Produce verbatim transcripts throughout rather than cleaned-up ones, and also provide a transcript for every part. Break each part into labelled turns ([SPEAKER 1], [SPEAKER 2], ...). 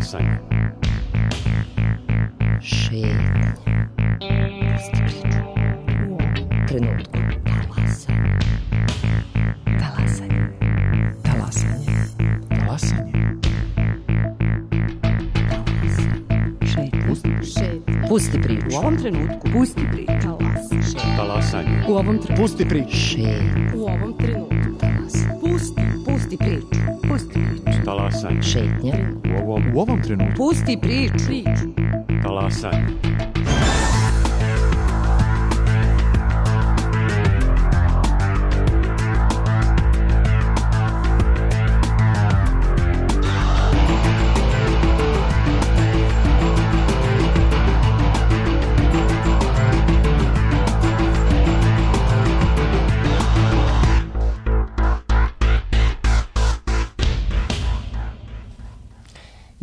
[SPEAKER 1] Talasanje.
[SPEAKER 2] Šetanje. Pusti priču. U ovom trenutku. Talasanje. Talasanje. Talasanje.
[SPEAKER 3] Talasanje.
[SPEAKER 2] Šetanje. Pusti priču.
[SPEAKER 4] U ovom trenutku.
[SPEAKER 2] Pusti priču.
[SPEAKER 1] Talasanje.
[SPEAKER 4] U ovom trenutku.
[SPEAKER 3] Pusti priču.
[SPEAKER 2] Šetanje.
[SPEAKER 4] U ovom trenutku. Pusti. Pusti priču. Pusti priču.
[SPEAKER 1] Talasanje.
[SPEAKER 2] Šetnja.
[SPEAKER 3] U ovom, u ovom trenutku.
[SPEAKER 4] Pusti priču. Priču.
[SPEAKER 1] Talasanje.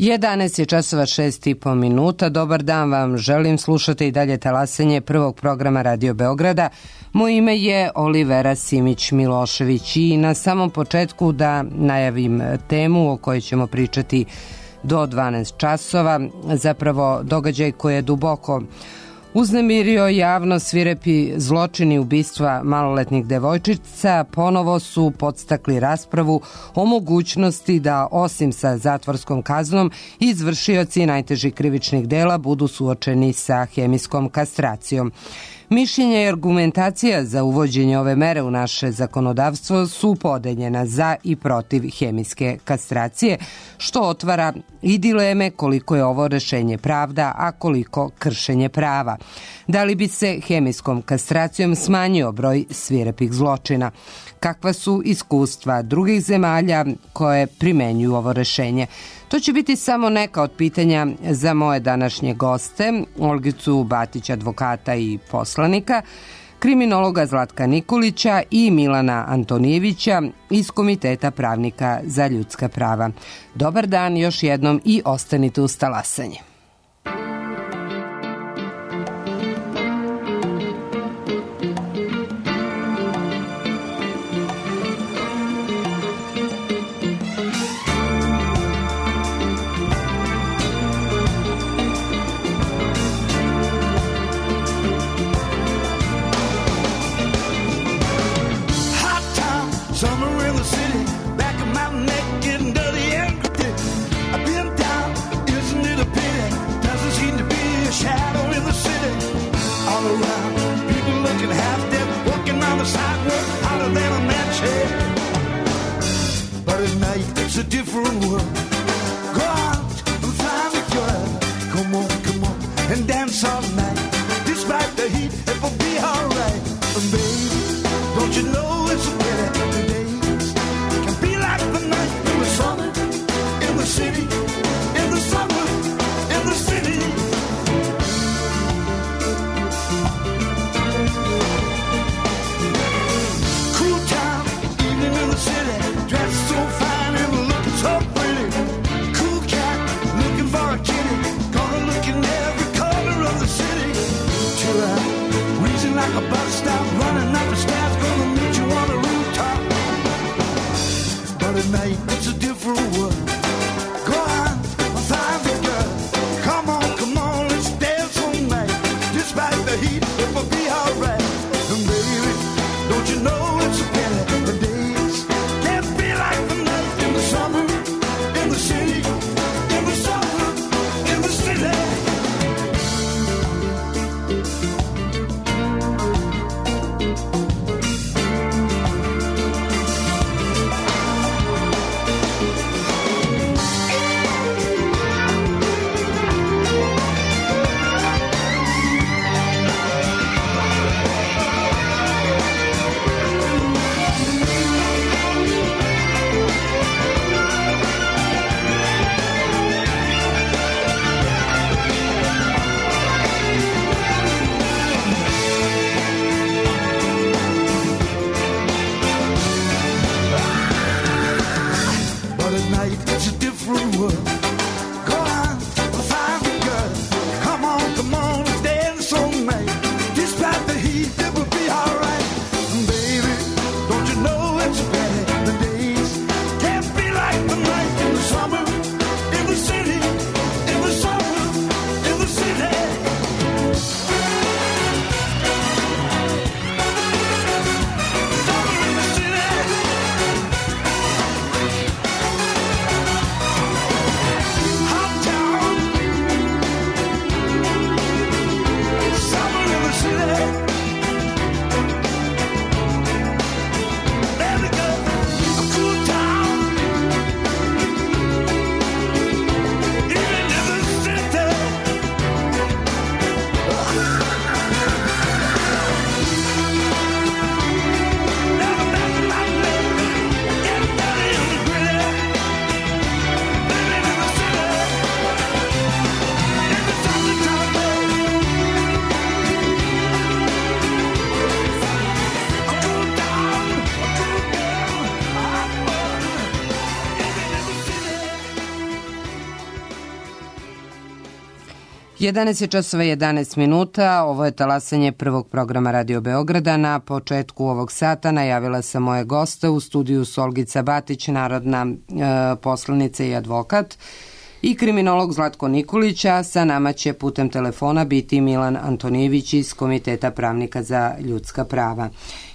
[SPEAKER 5] jedanaest je časova šest i po minuta. Dobar dan vam želim, slušate i dalje talasanje prvog programa Radio Beograda. Moje ime je Olivera Simić-Milošević i na samom početku da najavim temu o kojoj ćemo pričati do dvanaest časova. Zapravo događaj koji je duboko uznemirio javno, svirepi zločini ubistva maloletnih devojčica ponovo su podstakli raspravu o mogućnosti da osim sa zatvorskom kaznom izvršioci najtežih krivičnih dela budu suočeni sa hemijskom kastracijom. Mišljenje i argumentacija za uvođenje ove mere u naše zakonodavstvo su podeljena za i protiv hemijske kastracije, što otvara i dileme koliko je ovo rešenje pravda, a koliko kršenje prava. Da li bi se hemijskom kastracijom smanjio broj svirepih zločina? Kakva su iskustva drugih zemalja koje primenjuju ovo rešenje? To će biti samo neka od pitanja za moje današnje goste, Olgicu Batić, advokata i poslanika, kriminologa Zlatka Nikolića i Milana Antonijevića iz Komiteta pravnika za ljudska prava. Dobar dan još jednom i ostanite uz talasanje.
[SPEAKER 6] Till I
[SPEAKER 5] jedanaest je časova jedanaest minuta, ovo je talasanje prvog programa Radio Beograda. Na početku ovog sata najavila sam moje goste. U studiju su Olgica Batić, narodna e, poslanica i advokat, i kriminolog Zlatko Nikolić, a sa nama će putem telefona biti Milan Antonijević iz Komiteta pravnika za ljudska prava.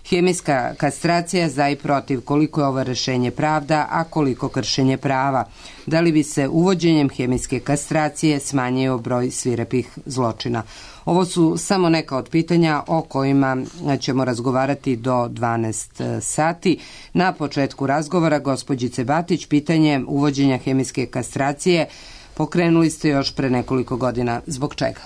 [SPEAKER 5] Hemijska kastracija za i protiv, koliko je ovo rešenje pravda, a koliko kršenje prava? Da li bi se uvođenjem hemijske kastracije smanjio broj svirepih zločina? Ovo su samo neka od pitanja o kojima ćemo razgovarati do dvanaest sati. Na početku razgovora, gospođice Batić, pitanje uvođenja hemijske kastracije pokrenuli ste još pre nekoliko godina. Zbog čega?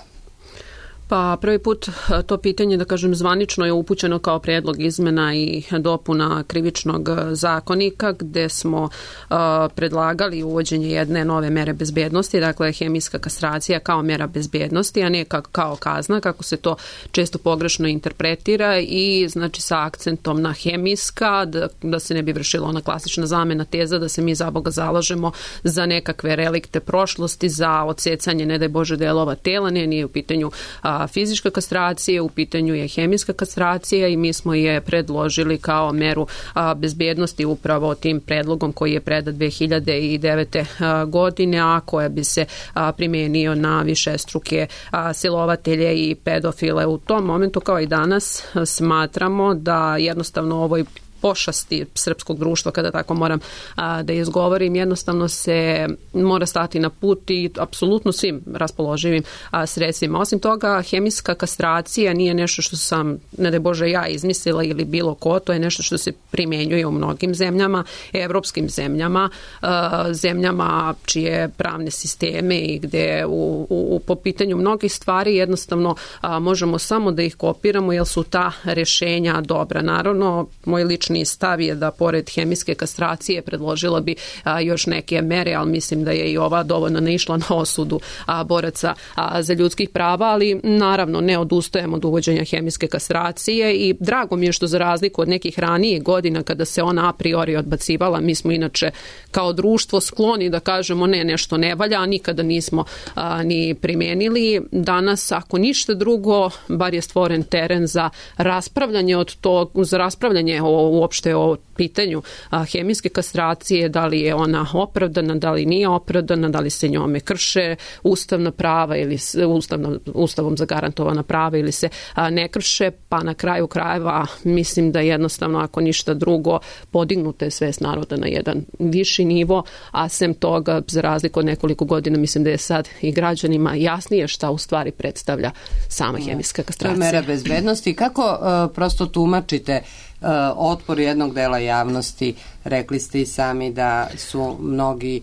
[SPEAKER 6] Pa prvi put to pitanje, da kažem, zvanično je upućeno kao prijedlog izmena i dopuna Krivičnog zakonika, gde smo uh, predlagali uvođenje jedne nove mere bezbednosti, dakle hemijska kastracija kao mera bezbednosti, a ne kao kazna, kako se to često pogrešno interpretira, i znači sa akcentom na hemijska, da, da se ne bi vršila ona klasična zamena teza da se mi za Boga zalažemo za nekakve relikte prošlosti, za odsecanje, ne daj Bože, delova tela. Ne, nije u pitanju a, fizička kastracija, u pitanju je hemijska kastracija, i mi smo je predložili kao meru a, bezbednosti upravo tim predlogom koji je predat dve hiljade devete. A, godine, a koja bi se a, primenio na višestruke a, silovatelje i pedofile. U tom momentu, kao i danas, smatramo da jednostavno ovoj pošasti srpskog društva, kada tako moram a, da izgovorim, jednostavno se mora stati na put i apsolutno svim raspoloživim a, sredstvima. Osim toga, hemijska kastracija nije nešto što sam, ne daj Bože, ja izmislila ili bilo ko, to je nešto što se primenjuje u mnogim zemljama, evropskim zemljama, a, zemljama čije pravne sisteme i gde u, u, po pitanju mnogih stvari jednostavno a, možemo samo da ih kopiramo, jer su ta rešenja dobra. Naravno, moj lični stav je da pored hemijske kastracije predložila bi a, još neke mere, ali mislim da je i ova dovoljno naišla na osudu a, boraca a, za ljudskih prava, ali naravno ne odustajemo od uvođenja hemijske kastracije, i drago mi je što, za razliku od nekih ranijih godina kada se ona a priori odbacivala, mi smo inače kao društvo skloni da kažemo ne, nešto ne valja, a nikada nismo a, ni primenili. Danas, ako ništa drugo, bar je stvoren teren za raspravljanje od tog, za raspravljanje o uopšte o pitanju a, hemijske kastracije, da li je ona opravdana, da li nije opravdana, da li se njome krše ustavna prava ili ustavno, ustavom zagarantovana prava ili se a, ne krše, pa na kraju krajeva mislim da jednostavno, ako ništa drugo, podignuta je svest naroda na jedan viši nivo, a sem toga, za razliku od nekoliko godina, mislim da je sad i građanima jasnije šta u stvari predstavlja sama hemijska kastracija.
[SPEAKER 5] To je mera bezbednosti. Kako uh, prosto tumačite Uh, otpor jednog dela javnosti? Rekli ste i sami da su mnogi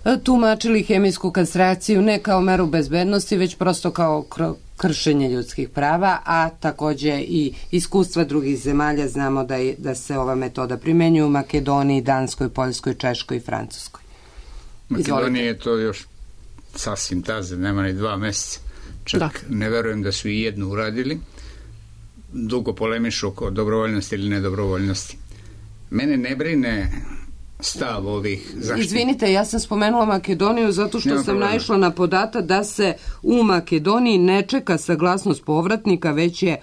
[SPEAKER 5] uh, tumačili hemijsku kastraciju ne kao meru bezbednosti, već prosto kao kr- kršenje ljudskih prava, a takođe i iskustva drugih zemalja. Znamo da, je, da se ova metoda primenjuje u Makedoniji, Danskoj, Poljskoj, Češkoj i Francuskoj.
[SPEAKER 7] Makedoniji je to još sasvim taze, nema ni dva meseca. Čak da. Ne verujem da su i jednu uradili. Dugo polemišu oko dobrovoljnosti ili nedobrovoljnosti. Mene ne brine stav ovih zaštita.
[SPEAKER 5] Izvinite, ja sam spomenula Makedoniju zato što Nema sam problema. naišla na podatak da se u Makedoniji ne čeka saglasnost povratnika, već je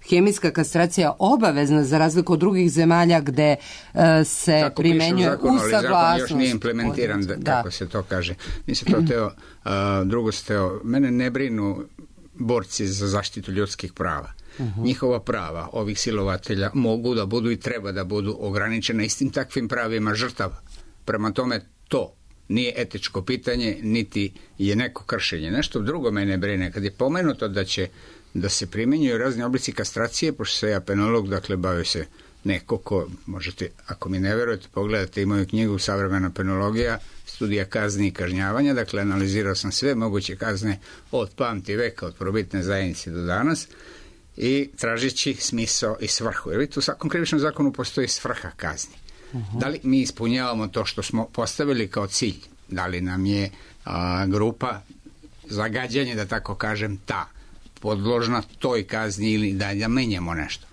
[SPEAKER 5] hemijska kastracija obavezna, za razliku od drugih zemalja gde uh, se kako primenjuje zakon, u saglasnost. Zakon još nije implementiran, da, da. kako se to kaže. Nisam to teo, uh, drugo se teo, mene ne brinu borci za zaštitu ljudskih prava. Uh-huh. Njihova prava ovih silovatelja mogu da budu i treba da budu ograničena istim takvim pravima žrtava. Prema tome, to nije etičko pitanje, niti je neko kršenje. Nešto drugo mene brine. Kad je pomenuto da će da se primjenjuju razni oblici kastracije, pošto se ja penolog, dakle bavio se neko ko, možete, ako mi ne verujete, pogledate i moju knjigu Savremena penologija, studija kazni i kažnjavanja, dakle analizirao sam sve moguće kazne od pamti veka, od probitne zajednice do danas, i tražići smisao i svrhu. Jer vidite, u svakom krivičnom zakonu postoji svrha kazni. Uh-huh. Da li mi ispunjavamo to što smo postavili kao cilj? Da li nam je a, grupa zagađanje, da tako kažem, ta podložna toj kazni, ili da, da menjamo nešto?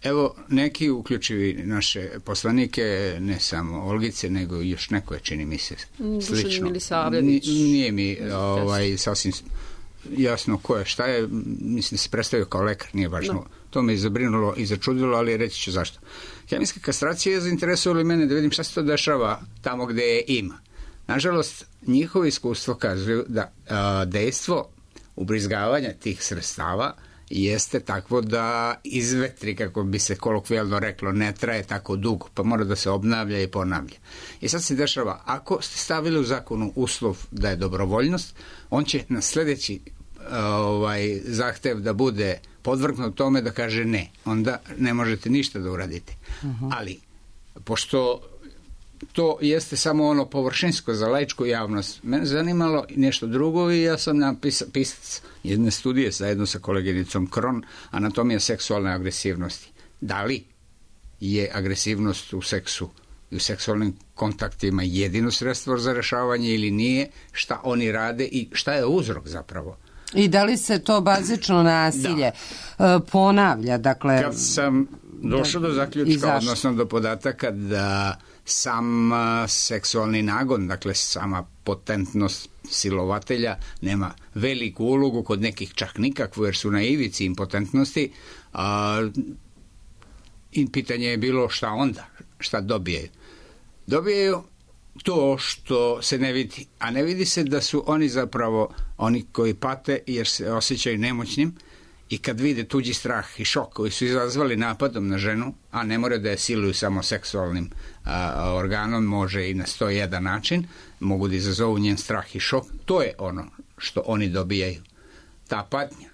[SPEAKER 5] Evo, neki, uključivi naše poslanike, ne samo Olgice, nego još neko je, čini mi se, slično.
[SPEAKER 6] Milisavljević.
[SPEAKER 7] Nije mi ovaj, sasvim jasno ko je, šta je, mislim da se predstavio kao lekar, nije važno. No. To me je zabrinulo i začudilo, ali reći ću zašto. Hemijska kastracija je zainteresovala mene da vidim šta se to dešava tamo gde je ima. Nažalost, njihovo iskustvo kazuju da a, dejstvo ubrizgavanja tih sredstava jeste takvo da izvetri, kako bi se kolokvijalno reklo, ne traje tako dugo, pa mora da se obnavlja i ponavlja. I sad se dešava, ako ste stavili u zakonu uslov da je dobrovoljnost, on će na sledeći ovaj, zahtev da bude podvrgnut tome da kaže ne. Onda ne možete ništa da uradite. Uh-huh. Ali, pošto to jeste samo ono površinsko za laičku javnost, mene zanimalo nešto drugo i ja sam napisac pisac jedne studije zajedno sa koleginicom Kron, anatomija seksualne agresivnosti. Da li je agresivnost u seksu i u seksualnim kontaktima jedino sredstvo za rešavanje ili nije, šta oni rade i šta je uzrok zapravo.
[SPEAKER 5] I da li se to bazično nasilje da. ponavlja? Dakle,
[SPEAKER 7] kad sam došao do zaključka, odnosno do podataka da sam seksualni nagon, dakle sama potentnost silovatelja nema veliku ulogu, kod nekih čak nikakvu, jer su na ivici impotentnosti, a, i pitanje je bilo šta onda, šta dobijaju. Dobijaju to što se ne vidi, a ne vidi se da su oni zapravo oni koji pate jer se osjećaju nemoćnim i kad vide tuđi strah i šok koji su izazvali napadom na ženu, a ne mora da je siluju samo seksualnim a, organom, može i na sto jedan način, mogu da izazovu njen strah i šok, to je ono što oni dobijaju, ta patnja.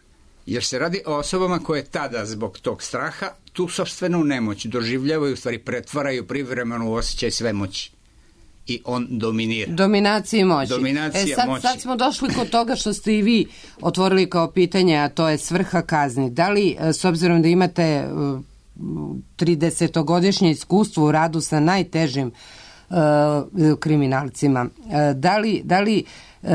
[SPEAKER 7] Jer se radi o osobama koje tada zbog tog straha tu sopstvenu nemoć doživljavaju, u stvari pretvaraju privremeno u osjećaj sve moći. I on dominira.
[SPEAKER 5] Dominacija i moći.
[SPEAKER 7] Dominacija
[SPEAKER 5] e, sad,
[SPEAKER 7] moći.
[SPEAKER 5] sad smo došli kod toga što ste i vi otvorili kao pitanje, a to je svrha kazni. Da li, s obzirom da imate tridesetogodišnje iskustvo u radu sa najtežim uh, kriminalcima, uh, da li, da li uh,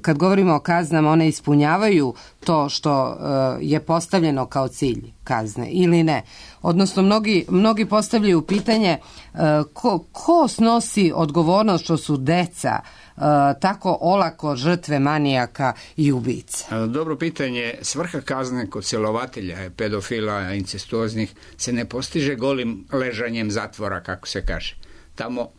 [SPEAKER 5] kad govorimo o kaznama, one ispunjavaju to što uh, je postavljeno kao cilj kazne ili ne? Odnosno, mnogi, mnogi postavljaju pitanje uh, ko, ko snosi odgovornost što su deca uh, tako olako žrtve manijaka i ubica?
[SPEAKER 7] Dobro pitanje. Svrha kazne kod silovatelja, pedofila, incestuoznih se ne postiže golim ležanjem zatvora, kako se kaže. Tamo uh,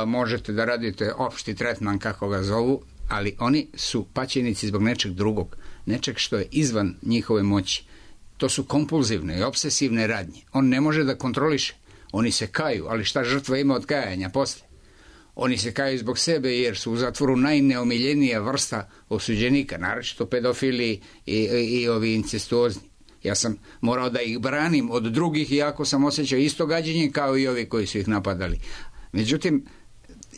[SPEAKER 7] možete da radite opšti tretman, kako ga zovu, ali oni su paćenici zbog nečeg drugog, nečeg što je izvan njihove moći. To su kompulzivne i obsesivne radnje. On ne može da kontroliše. Oni se kaju, ali šta žrtva ima od kajanja posle? Oni se kaju zbog sebe jer su u zatvoru najneomiljenija vrsta osuđenika, naročito pedofili i, i, i ovi incestuozni. Ja sam morao da ih branim od drugih, iako sam osjećao isto gađenje kao i ovi koji su ih napadali. Međutim,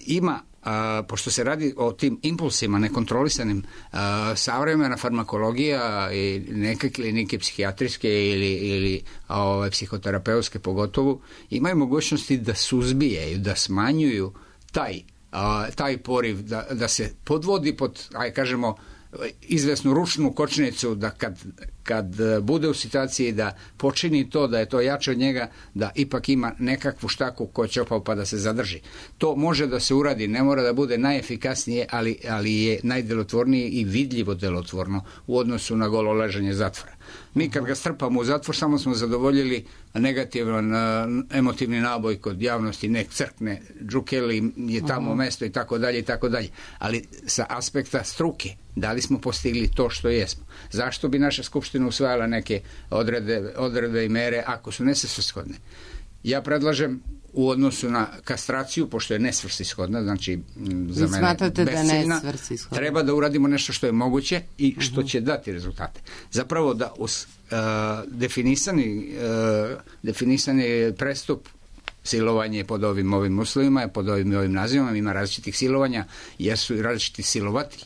[SPEAKER 7] ima, a, pošto se radi o tim impulsima nekontrolisanim, a, savremena farmakologija i neke klinike psihijatrijske ili, ili a, ove, psihoterapeutske pogotovo, imaju mogućnosti da suzbijaju, da smanjuju taj, a, taj poriv, da, da se podvodi pod, aj kažemo, izvesnu ručnu kočnicu, da kad, kad bude u situaciji da počini to, da je to jače od njega, da ipak ima nekakvu štaku ko će opao pa da se zadrži. To može da se uradi, ne mora da bude najefikasnije, ali, ali je najdelotvornije i vidljivo delotvorno u odnosu na golo ležanje zatvora. Mi kad ga strpamo u zatvor, samo smo zadovoljili negativan uh, emotivni naboj kod javnosti, nek crkne, Džukeli je tamo uh-huh. mesto i tako dalje i tako dalje. Ali sa aspekta struke, da li smo postigli to što jesmo? Zašto bi naša skupština usvajala neke odredbe, odredbe i mere ako su nesvrsishodne? Ja predlažem u odnosu na kastraciju, pošto je nesvrsishodna, znači za mene besciljna, da treba da uradimo nešto što je moguće i što uh-huh. će dati rezultate. Zapravo da us, uh, definisani, uh, definisani prestup silovanje pod ovim ovim uslovima, pod ovim ovim nazivima, ima različitih silovanja, jer su različiti silovatelji.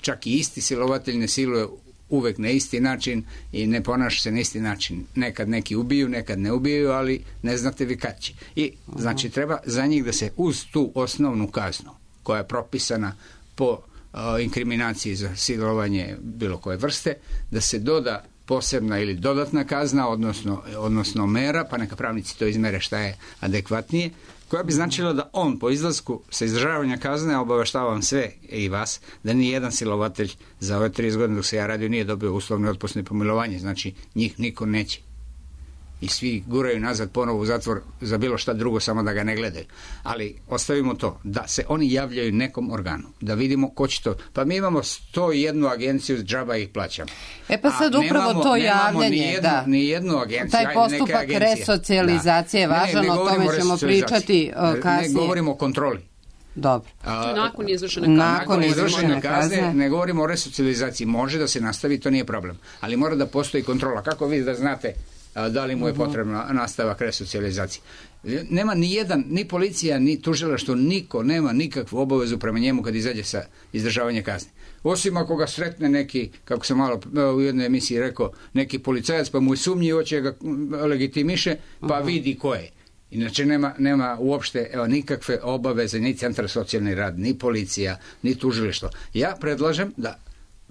[SPEAKER 7] Čak i isti silovatelj ne siluje uvek na isti način i ne ponaša se na isti način. Nekad neki ubiju, nekad ne ubiju, ali ne znate vi kad će. I znači treba za njih da se uz tu osnovnu kaznu koja je propisana po uh, inkriminaciji za silovanje bilo koje vrste, da se doda posebna ili dodatna kazna, odnosno, odnosno mera, pa neka pravnici to izmere šta je adekvatnije, koja bi značila da on po izlasku sa izdržavanja kazne, obaveštavam sve i vas, da ni jedan silovatelj za ove trideset godine dok se ja radio nije dobio uslovno otpusno pomilovanje, znači njih niko neće. I svi guraju nazad ponovo u zatvor za bilo šta drugo, samo da ga ne gledaju. Ali ostavimo to, da se oni javljaju nekom organu, da vidimo ko će to. Pa mi imamo sto jednu agenciju, džaba ih plaćamo.
[SPEAKER 5] E pa sad
[SPEAKER 7] A
[SPEAKER 5] upravo
[SPEAKER 7] nemamo,
[SPEAKER 5] to
[SPEAKER 7] nemamo
[SPEAKER 5] javljanje,
[SPEAKER 7] ni jednu,
[SPEAKER 5] da.
[SPEAKER 7] Ni jednu agenciju.
[SPEAKER 5] Taj postupak resocijalizacije je važan, ne, ne o tome ćemo pričati uh, kasnije.
[SPEAKER 7] Ne govorimo o kontroli.
[SPEAKER 5] Dobro.
[SPEAKER 6] A, nakon izvršene kazne.
[SPEAKER 7] Nakon izvršene kazne, ne govorimo o resocijalizaciji. Može da se nastavi, to nije problem. Ali mora da postoji kontrola. Kako vi da znate da li mu je potrebna nastavak resocijalizacije? Nema ni jedan, ni policija, ni tužilaštvo, niko nema nikakvu obavezu prema njemu kad izađe sa izdržavanja kazne. Osim ako ga sretne neki, kako sam malo u jednoj emisiji rekao, neki policajac, pa mu je sumnji, hoće ga legitimiše, pa vidi ko je. Inače nema, nema uopšte evo, nikakve obaveze, ni centar socijalni rad, ni policija, ni tužilaštvo. Ja predlažem da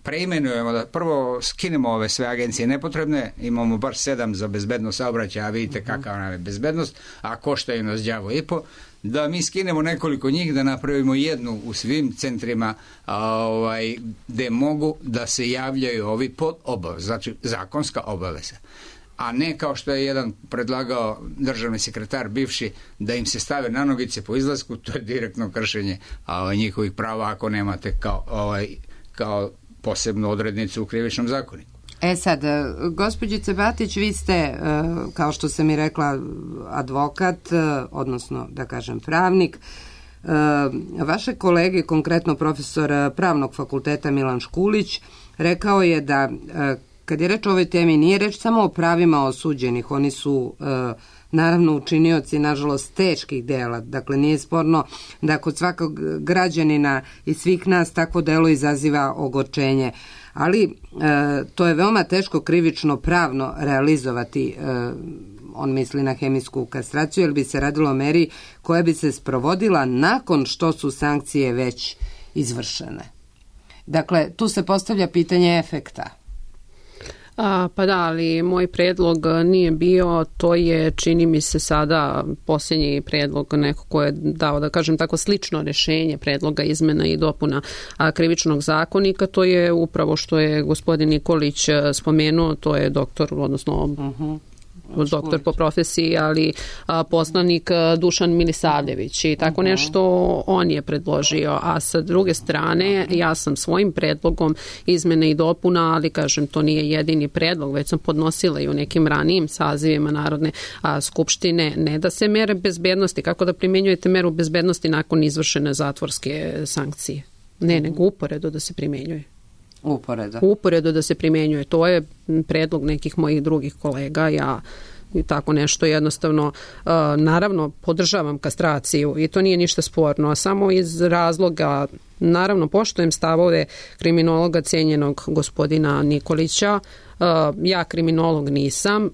[SPEAKER 7] preimenujemo, da prvo skinemo ove sve agencije nepotrebne, imamo bar sedam za bezbednost saobraćaja, a vidite kakva nam je bezbednost, a koštaju nas đavo i po, da mi skinemo nekoliko njih, da napravimo jednu u svim centrima a, ovaj, gde mogu da se javljaju ovi pod obavez, znači zakonska obaveza. A ne kao što je jedan predlagao državni sekretar bivši, da im se stave na nogice po izlasku, to je direktno kršenje a, njihovih prava ako nemate kao, ovaj, kao posebnu odrednicu u krivičnom zakoniku.
[SPEAKER 5] E sad, gospođice Batić, vi ste, kao što sam i rekla, advokat, odnosno, da kažem, pravnik. Vaše kolege, konkretno profesor Pravnog fakulteta Milan Škulić, rekao je da kad je reč o ovoj temi, nije reč samo o pravima osuđenih, oni su naravno učinioci, nažalost, teških dela. Dakle, nije sporno da kod svakog građanina i svih nas takvo delo izaziva ogorčenje. Ali e, to je veoma teško krivično pravno realizovati, e, on misli na hemijsku kastraciju, jer bi se radilo o meri koja bi se sprovodila nakon što su sankcije već izvršene. Dakle, tu se postavlja pitanje efekta.
[SPEAKER 6] A, pa da, ali moj predlog nije bio, to je, čini mi se sada posljednji predlog neko ko je dao, da kažem tako, slično rješenje predloga izmena i dopuna a, krivičnog zakonika, to je upravo što je gospodin Nikolić spomenuo, to je doktor, odnosno uh-huh. doktor po profesiji, ali a, poslanik a, Dušan Milisavljević i tako nešto on je predložio, a sa druge strane ja sam svojim predlogom izmene i dopuna, ali kažem to nije jedini predlog, već sam podnosila i u nekim ranijim sazivima Narodne a, skupštine, ne da se mere bezbednosti, kako da primjenjujete meru bezbednosti nakon izvršene zatvorske sankcije, ne, nego uporedo da se primjenjuje.
[SPEAKER 5] Uporedo.
[SPEAKER 6] Uporedo da se primjenjuje. To je predlog nekih mojih drugih kolega. Ja i tako nešto jednostavno, uh, naravno, podržavam kastraciju i to nije ništa sporno, a samo iz razloga, naravno, poštujem stavove kriminologa cijenjenog gospodina Nikolića. Uh, ja kriminolog nisam,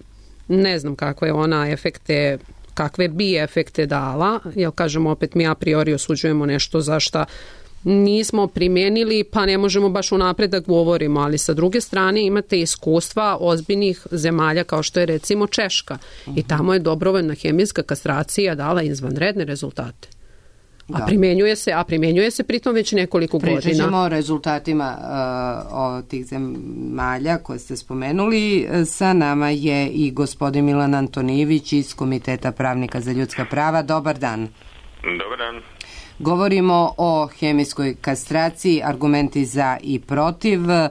[SPEAKER 6] ne znam kakve je ona efekte, kakve bi efekte dala, jer kažemo opet mi a priori osuđujemo nešto za šta nismo primijenili, pa ne možemo baš unapred da govorimo, ali sa druge strane imate iskustva ozbiljnih zemalja kao što je recimo Češka uh-huh. i tamo je dobrovoljna hemijska kastracija dala izvanredne rezultate. A da. primjenjuje se, a primjenjuje se pritom već nekoliko
[SPEAKER 5] Pričat
[SPEAKER 6] godina.
[SPEAKER 5] Pričat ćemo o rezultatima uh, o tih zemalja koje ste spomenuli. Sa nama je i gospodin Milan Antonijević iz Komiteta pravnika za ljudska prava. Dobar dan.
[SPEAKER 8] Dobar dan.
[SPEAKER 5] Govorimo o hemijskoj kastraciji, argumenti za i protiv. E,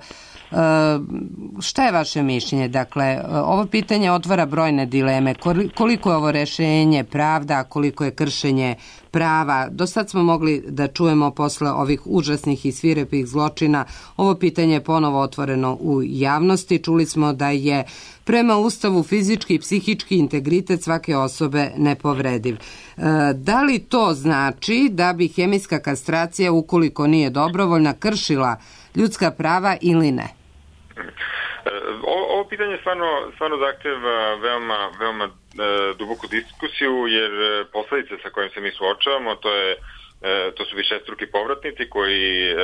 [SPEAKER 5] šta je vaše mišljenje? Dakle, ovo pitanje otvara brojne dileme. Koliko je ovo rešenje pravda, koliko je kršenje prava? Do sad smo mogli da čujemo posle ovih užasnih i svirepih zločina. Ovo pitanje je ponovo otvoreno u javnosti. Čuli smo da je prema Ustavu fizički i psihički integritet svake osobe nepovrediv. E, da li to znači da bi hemijska kastracija, ukoliko nije dobrovoljna, kršila ljudska prava ili ne?
[SPEAKER 8] Ovo, ovo pitanje stvarno, stvarno zahteva veoma, veoma e, duboku diskusiju, jer posledice sa kojim se mi suočavamo, to je to su višestruki povratnici koji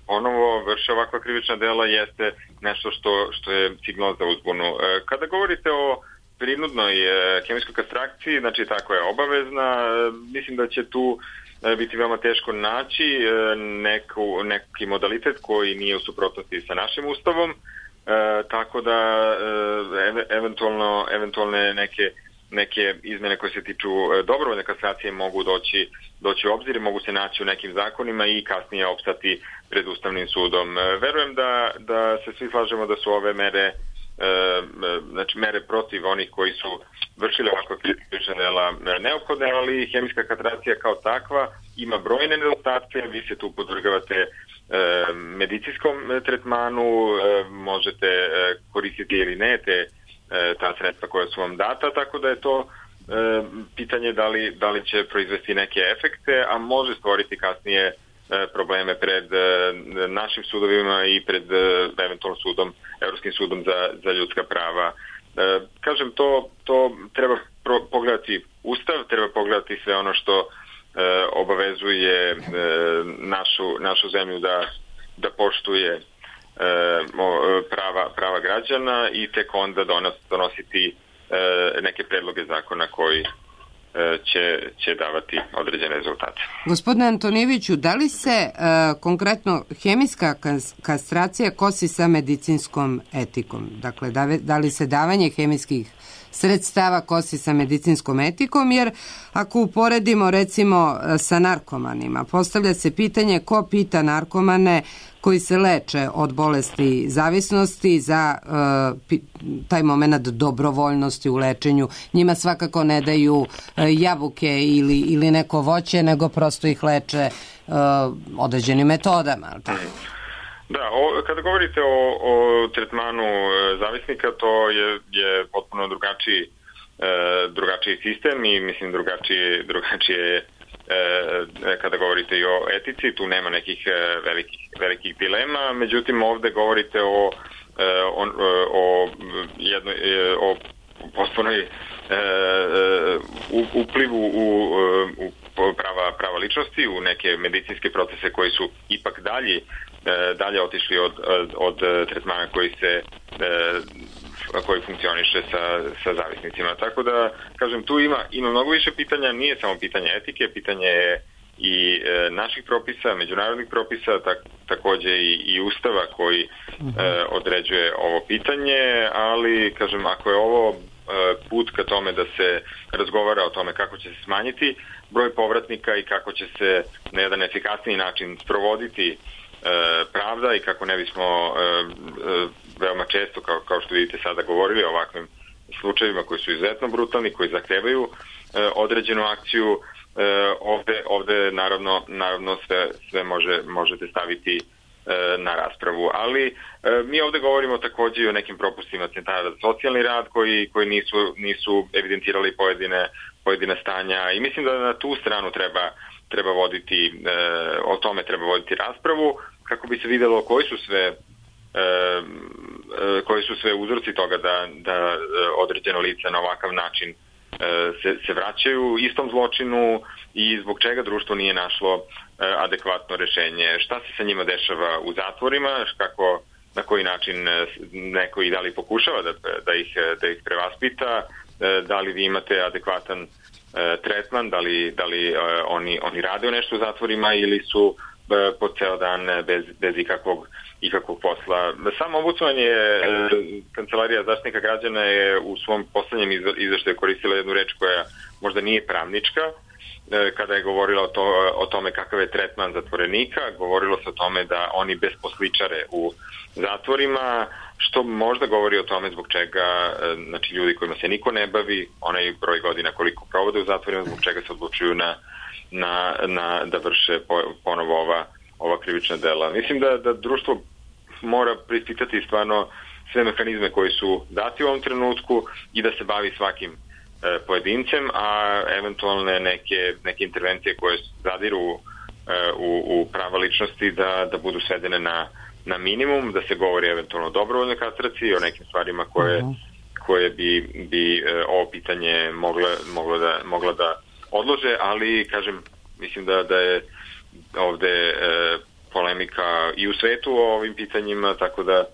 [SPEAKER 8] ponovo vrše ovakva krivična dela, jeste nešto što, što je signal za uzbunu. Kada govorite o prinudnoj hemijskoj kastraciji, znači tako je obavezna, mislim da će tu biti veoma teško naći neku, neki modalitet koji nije u suprotnosti sa našim ustavom, tako da eventualno, eventualne neke neke izmene koje se tiču dobrovoljne kastracije mogu doći, doći u obzir, mogu se naći u nekim zakonima i kasnije opstati pred Ustavnim sudom. Verujem da, da se svi slažemo da su ove mere, znači mere protiv onih koji su vršili ovakva krivična dela neophodne, ali hemijska kastracija kao takva ima brojne nedostatke, vi se tu podvrgavate medicinskom tretmanu, možete koristiti ili ne te ta sredstva koja su vam data, tako da je to e, pitanje da li, da li će proizvesti neke efekte, a može stvoriti kasnije e, probleme pred e, našim sudovima i pred e, eventualno sudom, Evropskim sudom za, za ljudska prava. E, kažem, to, to treba pro, pogledati Ustav, treba pogledati sve ono što e, obavezuje e, našu, našu zemlju da, da poštuje prava, prava građana i tek onda donos, donositi e, neke predloge zakona koji e, će, će davati određene rezultate.
[SPEAKER 5] Gospodine Antonijeviću, da li se e, konkretno hemijska kastracija kosi sa medicinskom etikom? Dakle, da, da li se davanje hemijskih sredstava kosi sa medicinskom etikom, jer ako uporedimo recimo sa narkomanima, postavlja se pitanje ko pita narkomane koji se leče od bolesti zavisnosti za uh, taj moment dobrovoljnosti u lečenju. Njima svakako ne daju uh, jabuke ili, ili neko voće, nego prosto ih leče uh, određenim metodama.
[SPEAKER 8] Da, o, kada govorite o, o tretmanu e, zavisnika, to je, je potpuno drugačiji, e, drugačiji sistem i mislim drugačije, drugačije e, kada govorite i o etici, tu nema nekih e, velikih, velikih dilema, međutim ovde govorite o, e, o, o, jednoj, e, o potpunoj e, u, uplivu u, u prava, prava ličnosti, u neke medicinske procese koji su ipak dalji dalje otišli od, od, od tretmana koji se koji funkcioniše sa, sa zavisnicima. Tako da, kažem, tu ima, ima mnogo više pitanja, nije samo pitanje etike, pitanje je i e, naših propisa, međunarodnih propisa, tak, takođe i, i ustava koji e, određuje ovo pitanje, ali, kažem, ako je ovo e, put ka tome da se razgovara o tome kako će se smanjiti broj povratnika i kako će se na jedan efikasniji način sprovoditi pravda i kako ne bismo e, e, veoma često, kao, kao što vidite sada, govorili o ovakvim slučajevima koji su izuzetno brutalni, koji zahtevaju e, određenu akciju, e, ovde, ovde naravno, naravno sve, sve može, možete staviti e, na raspravu. Ali e, mi ovde govorimo takođe i o nekim propustima centara za socijalni rad koji, koji nisu, nisu evidentirali pojedine, pojedine stanja i mislim da na tu stranu treba treba voditi, e, o tome treba voditi raspravu kako bi se videlo koji su sve e, e, koji su sve uzroci toga da, da određeno lice na ovakav način e, se, se vraćaju istom zločinu i zbog čega društvo nije našlo e, adekvatno rešenje. Šta se sa njima dešava u zatvorima, kako, na koji način neko i da li pokušava da, da, ih, da ih prevaspita, e, da li vi imate adekvatan tretman, da li, da li uh, oni, oni rade nešto u zatvorima ili su uh, po ceo dan bez, bez ikakvog, ikakvog posla. Sam ombudsman je, uh, Kancelarija zaštitnika građana je u svom poslednjem izveštaju koristila jednu reč koja možda nije pravnička, uh, kada je govorila o, to, o tome kakav je tretman zatvorenika, govorilo se o tome da oni besposličare u zatvorima, što možda govori o tome zbog čega, znači ljudi kojima se niko ne bavi, onaj broj godina koliko provode u zatvorima, zbog čega se odlučuju na, na, na da vrše ponovo ova, ova krivična dela. Mislim da, da društvo mora preispitati stvarno sve mehanizme koji su dati u ovom trenutku i da se bavi svakim e, pojedincem, a eventualne neke, neke intervencije koje zadiru e, u, u prava ličnosti da, da budu svedene na na minimum, da se govori eventualno o dobrovoljnoj kastraciji, o nekim stvarima koje, uh-huh. koje bi, bi e, ovo pitanje mogla, moglo da, mogla da odlože, ali, kažem, mislim da, da je ovde e, polemika i u svetu o ovim pitanjima, tako da e,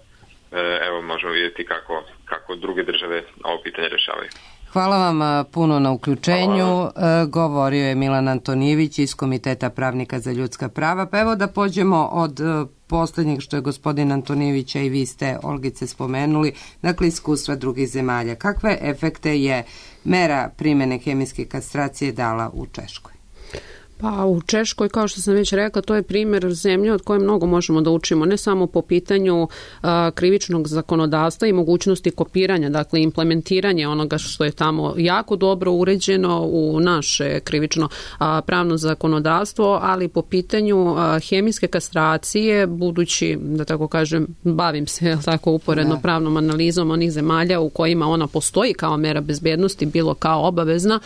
[SPEAKER 8] evo možemo vidjeti kako, kako druge države ovo pitanje rešavaju.
[SPEAKER 5] Hvala vam puno na uključenju. Govorio je Milan Antonijević iz Komiteta pravnika za ljudska prava. Pa evo da pođemo od poslednjeg što je gospodin Antonijević, a i vi ste, Olgice, spomenuli, dakle iskustva drugih zemalja. Kakve efekte je mera primjene hemijske kastracije dala u Češkoj?
[SPEAKER 6] Pa u Češkoj, kao što sam već rekla, to je primjer zemlje od koje mnogo možemo da učimo, ne samo po pitanju a, krivičnog zakonodavstva i mogućnosti kopiranja, dakle implementiranje onoga što je tamo jako dobro uređeno u naše krivično a, pravno zakonodavstvo, ali po pitanju a, hemijske kastracije, budući, da tako kažem, bavim se tako uporedno pravnom analizom onih zemalja u kojima ona postoji kao mera bezbednosti, bilo kao obavezna,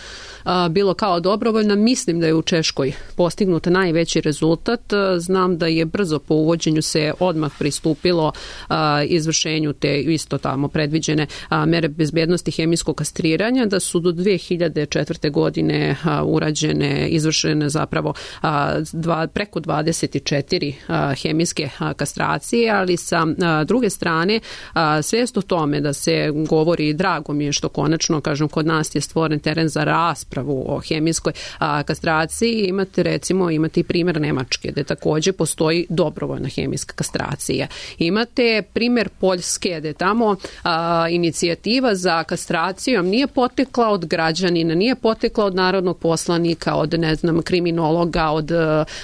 [SPEAKER 6] a, bilo kao dobrovoljna, mislim da je u Češkoj postignut najveći rezultat. Znam da je brzo po uvođenju se odmah pristupilo a, izvršenju te isto tamo predviđene a, mere bezbednosti hemijskog kastriranja, da su do dve hiljade četvrte. godine a, urađene, izvršene zapravo a, dva, preko dvadeset četiri a, hemijske a, kastracije, ali sa a, druge strane a, svijest o tome da se govori, drago mi je što konačno, kažem, kod nas je stvoren teren za raspravu o hemijskoj a, kastraciji. Imate recimo, imate i primjer Nemačke, gde takođe postoji dobrovoljna hemijska kastracija. Imate primjer Poljske, gde tamo a, inicijativa za kastracijom nije potekla od građanina, nije potekla od narodnog poslanika, od, ne znam, kriminologa, od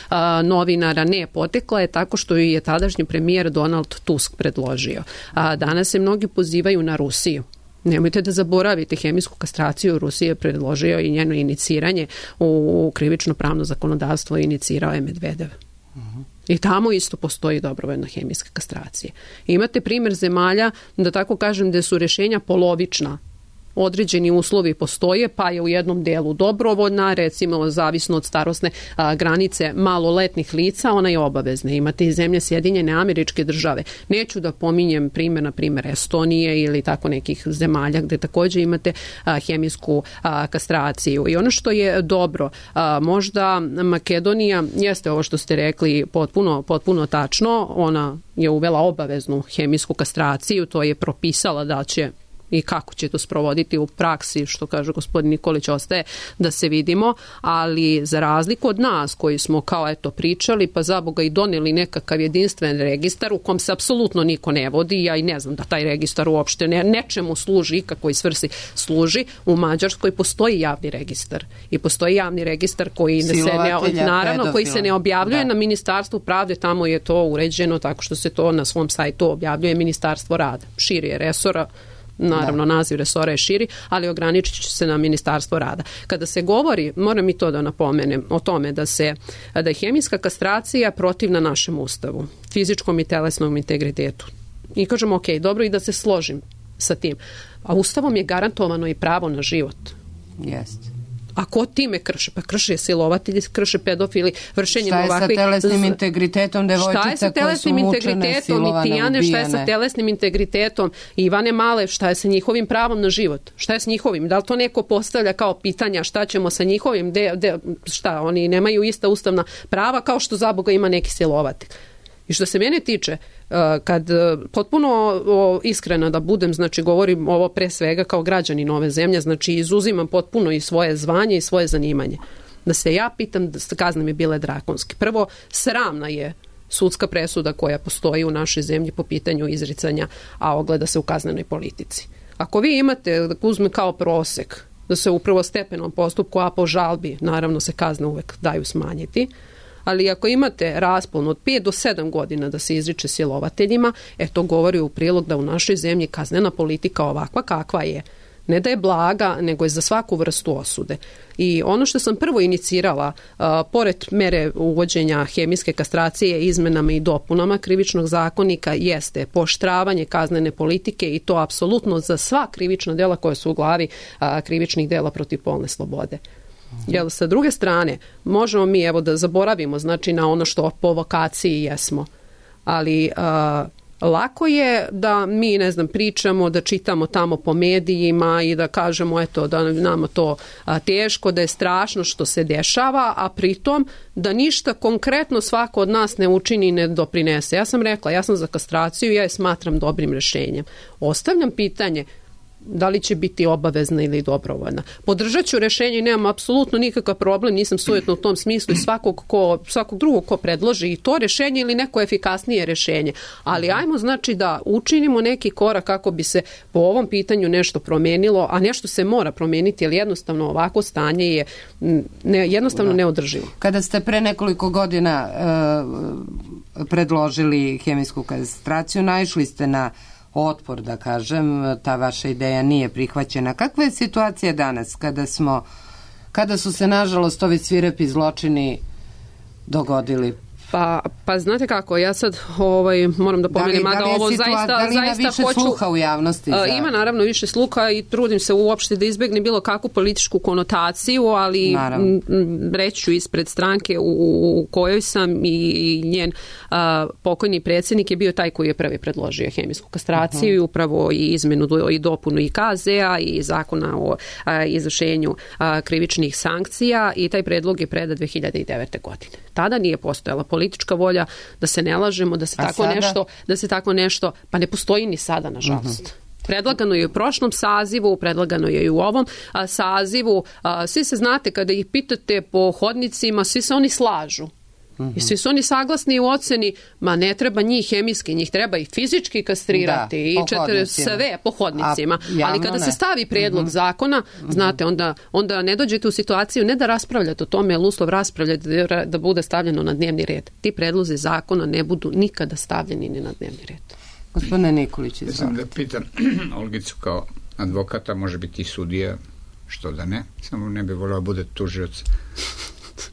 [SPEAKER 6] a, novinara, ne, potekla je tako što je tadašnji premijer Donald Tusk predložio. A danas se mnogi pozivaju na Rusiju. Nemojte da zaboravite, hemijsku kastraciju Rusije je predložio i njeno iniciranje u krivično pravno zakonodavstvo inicirao je Medvedev. Uh-huh. I tamo isto postoji dobrovoljna hemijska kastracija. Imate primjer zemalja, da tako kažem, gde su rješenja polovična. Određeni uslovi postoje, pa je u jednom delu dobrovoljna, recimo zavisno od starosne a, granice maloletnih lica, ona je obavezna. Imate i zemlje Sjedinjene Američke Države. Neću da pominjem primjer, na primjer Estonije ili tako nekih zemalja gde također imate a, hemijsku a, kastraciju. I ono što je dobro, a, možda Makedonija, jeste ovo što ste rekli potpuno, potpuno tačno, ona je uvela obaveznu hemijsku kastraciju, to je propisala da će i kako će to sprovoditi u praksi, što kaže gospodin Nikolić, ostaje da se vidimo, ali za razliku od nas koji smo kao eto pričali, pa za Boga i doneli nekakav jedinstven registar u kom se apsolutno niko ne vodi, ja i ne znam da taj registar uopšte ne, nečemu služi, kakvoj svrsi služi, u Mađarskoj postoji javni registar i postoji javni registar koji se ne, naravno koji se ne objavljuje da. Na Ministarstvu pravde, tamo je to uređeno tako što se to na svom sajtu objavljuje Ministarstvo rada, širi je resora. Naravno, da. Naziv resora je širi, ali ograničit će se na Ministarstvo rada. Kada se govori, moram i to da napomenem, o tome da se da je hemijska kastracija protivna našem ustavu, fizičkom i telesnom integritetu. I kažemo, ok, dobro, i da se složim sa tim. A ustavom je garantovano i pravo na život.
[SPEAKER 5] Jeste.
[SPEAKER 6] A ko time krše? Pa krše silovatelji, krše pedofili, vršenjem ovakvih...
[SPEAKER 5] Šta je sa telesnim integritetom devojčica koje su mučene, silovane,
[SPEAKER 6] Tijane, šta je sa telesnim integritetom Ivane Male, šta je sa njihovim pravom na život? Šta je s njihovim? Da li to neko postavlja kao pitanja šta ćemo sa njihovim? De, de, šta, oni nemaju ista ustavna prava kao što za Boga ima neki silovatelj. I što se mene tiče, kad potpuno iskreno da budem, znači govorim ovo pre svega kao građanin ove zemlje, znači izuzimam potpuno i svoje zvanje i svoje zanimanje. Da se ja pitam, da kazne mi bile drakonske. Prvo, sramna je sudska presuda koja postoji u našoj zemlji po pitanju izricanja, a ogleda se u kaznenoj politici. Ako vi imate, da uzme kao prosek, da se u prvostepenom postupku, a po žalbi, naravno se kazne uvek daju smanjiti, ali ako imate raspon od pet do sedam godina da se izriče silovateljima, e to govori u prilog da u našoj zemlji kaznena politika ovakva kakva je, ne da je blaga, nego je za svaku vrstu osude. I ono što sam prvo inicirala, uh, pored mere uvođenja hemijske kastracije izmenama i dopunama krivičnog zakonika, jeste pooštravanje kaznene politike i to apsolutno za sva krivična dela koja su u glavi uh, krivičnih dela protiv polne slobode. Jer sa druge strane, možemo mi evo da zaboravimo znači na ono što po vokaciji jesmo, ali uh, Lako je da mi, ne znam, pričamo, da čitamo tamo po medijima i da kažemo eto da nama to a, teško, da je strašno što se dešava, a pritom da ništa konkretno svako od nas ne učini i ne doprinese. Ja sam rekla, ja sam za kastraciju, ja je smatram dobrim rješenjem. Ostavljam pitanje da li će biti obavezna ili dobrovoljna. Podržat ću rješenje i nemam apsolutno nikakav problem, nisam sujetna u tom smislu i svakog, ko, svakog drugog ko predloži i to rješenje ili neko efikasnije rješenje. Ali ajmo znači da učinimo neki korak kako bi se po ovom pitanju nešto promijenilo, a nešto se mora promijeniti jer jednostavno ovako stanje je ne, jednostavno da. neodrživo.
[SPEAKER 5] Kada ste pre nekoliko godina uh, predložili hemijsku kastraciju, naišli ste na otpor, da kažem, ta vaša ideja nije prihvaćena. Kakva je situacija danas kada smo, kada su se nažalost ovi svirepi zločini dogodili?
[SPEAKER 6] Pa, pa znate kako, ja sad ovaj, moram da pomenem, da, da ovo situa- zaista,
[SPEAKER 5] da li ima
[SPEAKER 6] zaista
[SPEAKER 5] više
[SPEAKER 6] hoću,
[SPEAKER 5] sluha u javnosti? Za...
[SPEAKER 6] Ima naravno više sluha i trudim se uopšte da izbjegne bilo kakvu političku konotaciju, ali m, reći ću ispred stranke u, u kojoj sam i njen a, pokojni predsjednik je bio taj koji je prvi predložio hemijsku kastraciju uh-huh. i upravo i izmenu i dopunu i K Z-a i zakona o a, izvršenju a, krivičnih sankcija i taj predlog je predat dve hiljade devete. godine. Tada nije postojala politička volja, da se ne lažemo, da se tako sada? nešto, da se tako nešto, pa ne postoji ni sada, nažalost. Uh-huh. Predlagano je u prošlom sazivu, predlagano je i u ovom a, sazivu. A, svi se znate, kada ih pitate po hodnicima, svi se oni slažu. Uh-huh. I svi su oni saglasni u oceni, ma ne treba njih hemijski, njih treba i fizički kastrirati, da, i četiri, sve po hodnicima. A, ali kada ne. se stavi prijedlog uh-huh. zakona, znate, onda, onda ne dođete u situaciju ne da raspravljate o tome, jer uslov raspravljate da, da bude stavljeno na dnevni red. Ti predlozi zakona ne budu nikada stavljeni ni na dnevni red.
[SPEAKER 5] Gospodine Nikolić,
[SPEAKER 7] ja sam da pitam Olgicu kao advokata, može biti i sudija, što da ne, samo ne bi volio bude tužioc,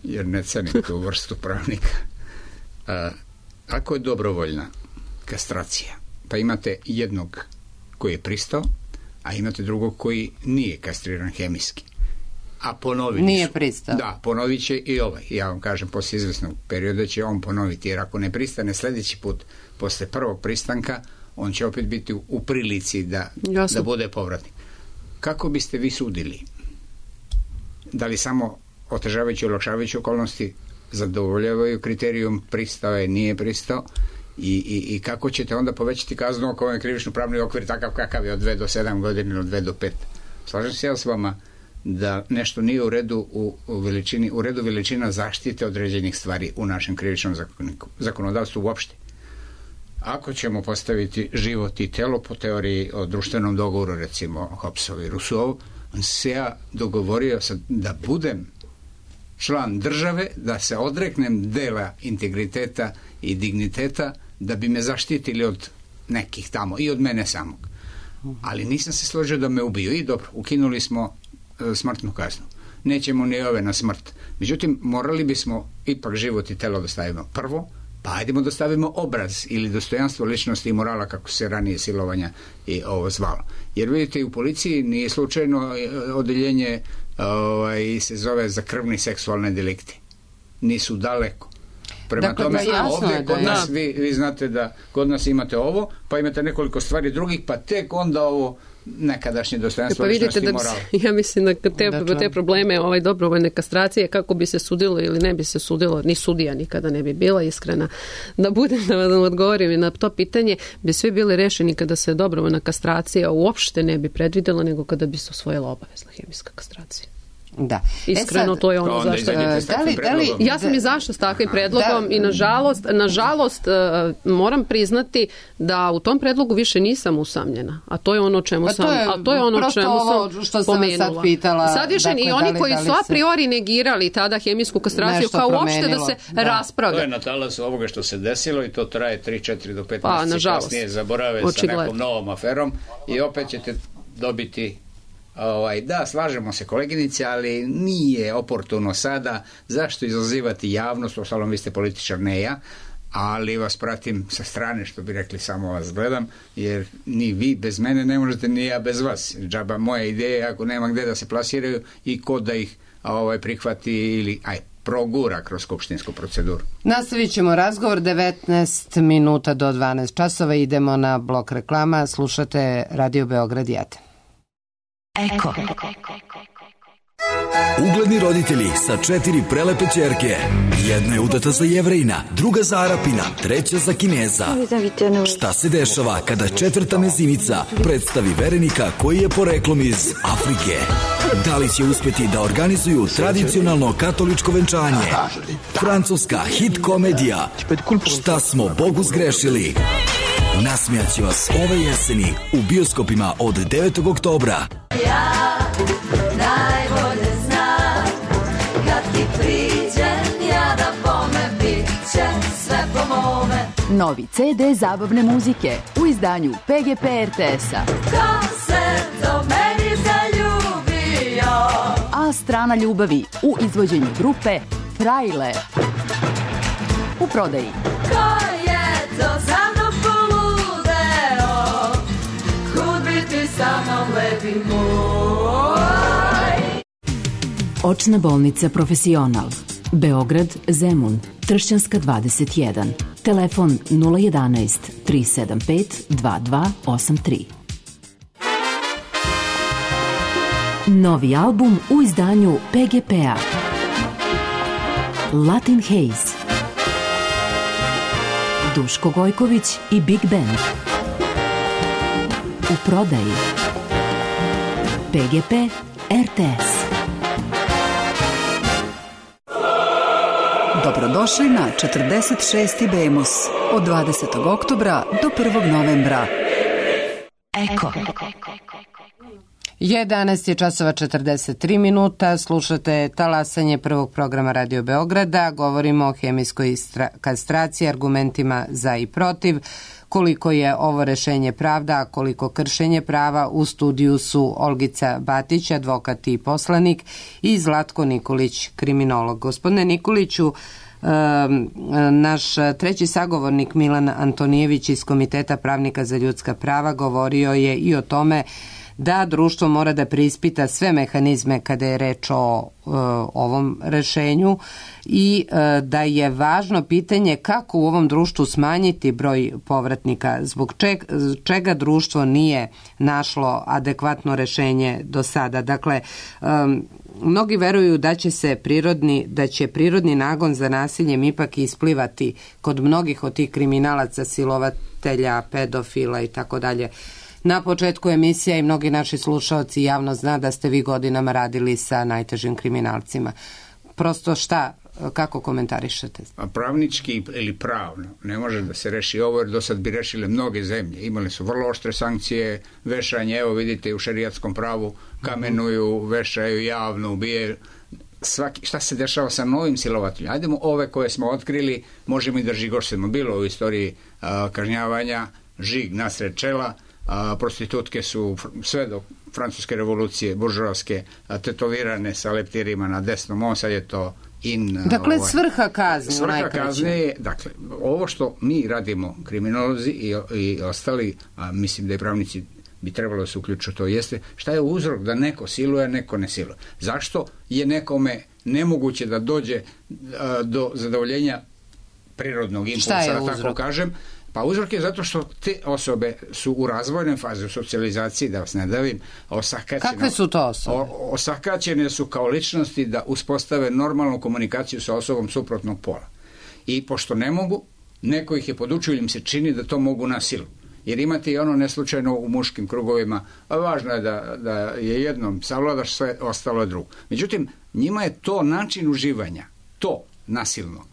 [SPEAKER 7] jer ne cenim tu vrstu pravnika. A, ako je dobrovoljna kastracija, pa imate jednog koji je pristao, a imate drugog koji nije kastriran hemijski. A ponovit
[SPEAKER 5] nije
[SPEAKER 7] su.
[SPEAKER 5] pristao.
[SPEAKER 7] Da, ponovit će i ovaj. Ja vam kažem, poslije izvesnog perioda će on ponoviti, jer ako ne pristane sljedeći put, posle prvog pristanka, on će opet biti u, u prilici da, da bude povratnik. Kako biste vi sudili? Da li samo otežavajući i olakšavajući okolnosti zadovoljavaju kriterijum pristao je, nije pristao i, i, i kako ćete onda povećati kaznu ako je krivično pravni okvir takav kakav je od dve do sedam godina ili od dve do pet. Slažem se ja s vama da nešto nije u redu u, u, veličini, u redu veličina zaštite određenih stvari u našem krivičnom zakoniku, zakonodavstvu uopšte. Ako ćemo postaviti život i telo po teoriji o društvenom dogovoru, recimo Hobbesov i Rousseau, on se ja dogovorio sad da budem član države, da se odreknem dela integriteta i digniteta da bi me zaštitili od nekih tamo i od mene samog. Ali nisam se složio da me ubiju i dobro, ukinuli smo e, smrtnu kaznu. Nećemo ni ove na smrt. Međutim, morali bismo ipak život i telo da stavimo prvo, pa ajdemo da stavimo obraz ili dostojanstvo ličnosti i morala kako se ranije silovanja i ovo zvalo. Jer vidite, u policiji nije slučajno odeljenje ovaj, se zove za krvni seksualne delikte. Nisu daleko. Prema dakle, tome, da, ovdje kod da, nas, da. Vi, vi znate da kod nas imate ovo, pa imate nekoliko stvari drugih, pa tek onda ovo nekadašnje dostojanstvo,
[SPEAKER 6] pa
[SPEAKER 7] ličnosti i
[SPEAKER 6] morala. Ja mislim da te, dakle. te probleme ovaj, dobrovoljne kastracije, kako bi se sudilo ili ne bi se sudilo, ni sudija nikada ne bi bila iskrena. Da budem da vam odgovorim na to pitanje, bi svi bili rešeni kada se dobrovoljna kastracija uopšte ne bi predvidela, nego kada bi se usvojila obavezna hemijska kastracija.
[SPEAKER 5] Da.
[SPEAKER 6] Iskreno, e sad, to je ono
[SPEAKER 7] to
[SPEAKER 6] zašto...
[SPEAKER 7] Da li, da li,
[SPEAKER 6] ja sam izašla s takvim predlogom da, i nažalost, nažalost moram priznati da u tom predlogu više nisam usamljena. A to je ono čemu
[SPEAKER 5] pa
[SPEAKER 6] sam,
[SPEAKER 5] to je,
[SPEAKER 6] a to je ono čemu sam
[SPEAKER 5] što
[SPEAKER 6] pomenula.
[SPEAKER 5] Sam sad pitala,
[SPEAKER 6] sad više dakle, i oni
[SPEAKER 5] li,
[SPEAKER 6] koji
[SPEAKER 5] li
[SPEAKER 6] su a priori negirali tada hemijsku kastraciju kao uopšte da se da. raspravlja.
[SPEAKER 7] To je na talasu ovoga što se desilo i to traje tri, četiri do pet
[SPEAKER 6] pa,
[SPEAKER 7] mjeseci kasnije zaborave očigledno. Sa nekom novom aferom i opet ćete dobiti Ovaj, da, slažemo se koleginice, ali nije oportuno sada. Zašto izazivati javnost? Ostalom, vi ste političar, ne ja, ali vas pratim sa strane, što bi rekli, samo vas gledam, jer ni vi bez mene ne možete, ni ja bez vas. Džaba moje ideje, ako nema gde da se plasiraju i ko da ih ovaj, prihvati ili aj, progura kroz skupštinsku proceduru.
[SPEAKER 5] Nastavit ćemo razgovor devetnaest minuta do dvanaest časova. Idemo na blok reklama. Slušate Radio Beograd jedan.
[SPEAKER 2] Eko.
[SPEAKER 9] Ugledni roditelji sa četiri prelepe ćerke. Jedna je udata za Jevrejina, druga za Arapina, treća za Kineza. Šta se dešava kada četvrta mezimica predstavi verenika koji je poreklom iz Afrike? Da li će uspeti da organizuju tradicionalno katoličko venčanje? Francuska hit komedija Šta smo Bogu zgrešili? Nasmijaće vas ove jeseni u bioskopima od devetog oktobra.
[SPEAKER 10] Ja najbolje znam kad ti priđem ja da bome bit će sve po mome.
[SPEAKER 4] Novi ce de zabavne muzike u izdanju pe ge pe er te es-a.
[SPEAKER 10] Ko se do meni zaljubio?
[SPEAKER 4] A strana ljubavi u izvođenju grupe Frajle. U prodaji.
[SPEAKER 10] Ko je to za mnom poludeo? Kud bi ti sa mnom lepi moj?
[SPEAKER 2] Očna bolnica Profesional. Beograd, Zemun, Tršćanska dvadeset jedan. Telefon nula jedanaest tri sedam pet dva dva osam tri. Novi album u izdanju pe ge pe-a. Latin Haze. Duško Gojković i Big Band. U prodaji. pe ge pe er te es.
[SPEAKER 11] Dobrodošli na četrdeset šesti Bemus od dvadesetog oktobra do prvog novembra.
[SPEAKER 2] Eko.
[SPEAKER 5] jedanaest je časova četrdeset tri minuta, slušate talasanje prvog programa Radio Beograda, govorimo o hemijskoj kastraciji, argumentima za i protiv, koliko je ovo rešenje pravda, a koliko kršenje prava. U studiju su Olgica Batić, advokat i poslanik, i Zlatko Nikolić, kriminolog. Gospodine Nikoliću, naš treći sagovornik Milan Antonijević iz Komiteta pravnika za ljudska prava govorio je i o tome da društvo mora da preispita sve mehanizme kada je reč o e, ovom rešenju i e, da je važno pitanje kako u ovom društvu smanjiti broj povratnika, zbog čeg, čega društvo nije našlo adekvatno rešenje do sada. Dakle, e, mnogi veruju da će se prirodni, da će prirodni nagon za nasiljem ipak isplivati kod mnogih od tih kriminalaca, silovatelja, pedofila i tako dalje. Na početku emisija i mnogi naši slušaoci javno zna da ste vi godinama radili sa najtežim kriminalcima. Prosto šta, kako komentarišete?
[SPEAKER 7] A pravnički ili pravno ne može da se reši ovo, jer do sad bi rešile mnoge zemlje. Imali su vrlo oštre sankcije, vešanje, evo vidite u šerijatskom pravu kamenuju, vešaju javno, ubijaju. Svaki, šta se dešava sa novim silovateljima? Ajdemo ove koje smo otkrili, možemo i da žigošemo. Bilo u istoriji a, kažnjavanja, žig nasred čela, a, prostitutke su sve do francuske revolucije, buržoaske, tetovirane sa leptirima na desnom, on sad je to in...
[SPEAKER 5] Dakle,
[SPEAKER 7] ovaj,
[SPEAKER 5] svrha kazne.
[SPEAKER 7] Svrha kazne je, dakle, ovo što mi radimo, kriminolozi i, i ostali, a mislim da i pravnici bi trebalo da se uključu, to jeste šta je uzrok da neko siluje, neko ne siluje. Zašto je nekome nemoguće da dođe a, do zadovoljenja prirodnog impulsa, da tako kažem? Pa uzrok je zato što te osobe su u razvojnoj fazi, u socijalizaciji, da vas ne davim, osakaćene.
[SPEAKER 5] Kakve su to osobe?
[SPEAKER 7] O, osakaćene su kao ličnosti da uspostave normalnu komunikaciju sa osobom suprotnog pola. I pošto ne mogu, neko ih je podučio ili im se čini da to mogu na silu. Jer imate i ono neslučajno u muškim krugovima, a važno je da, da je jednom savladaš sve, ostalo je drugo. Međutim, njima je to način uživanja, to nasilno.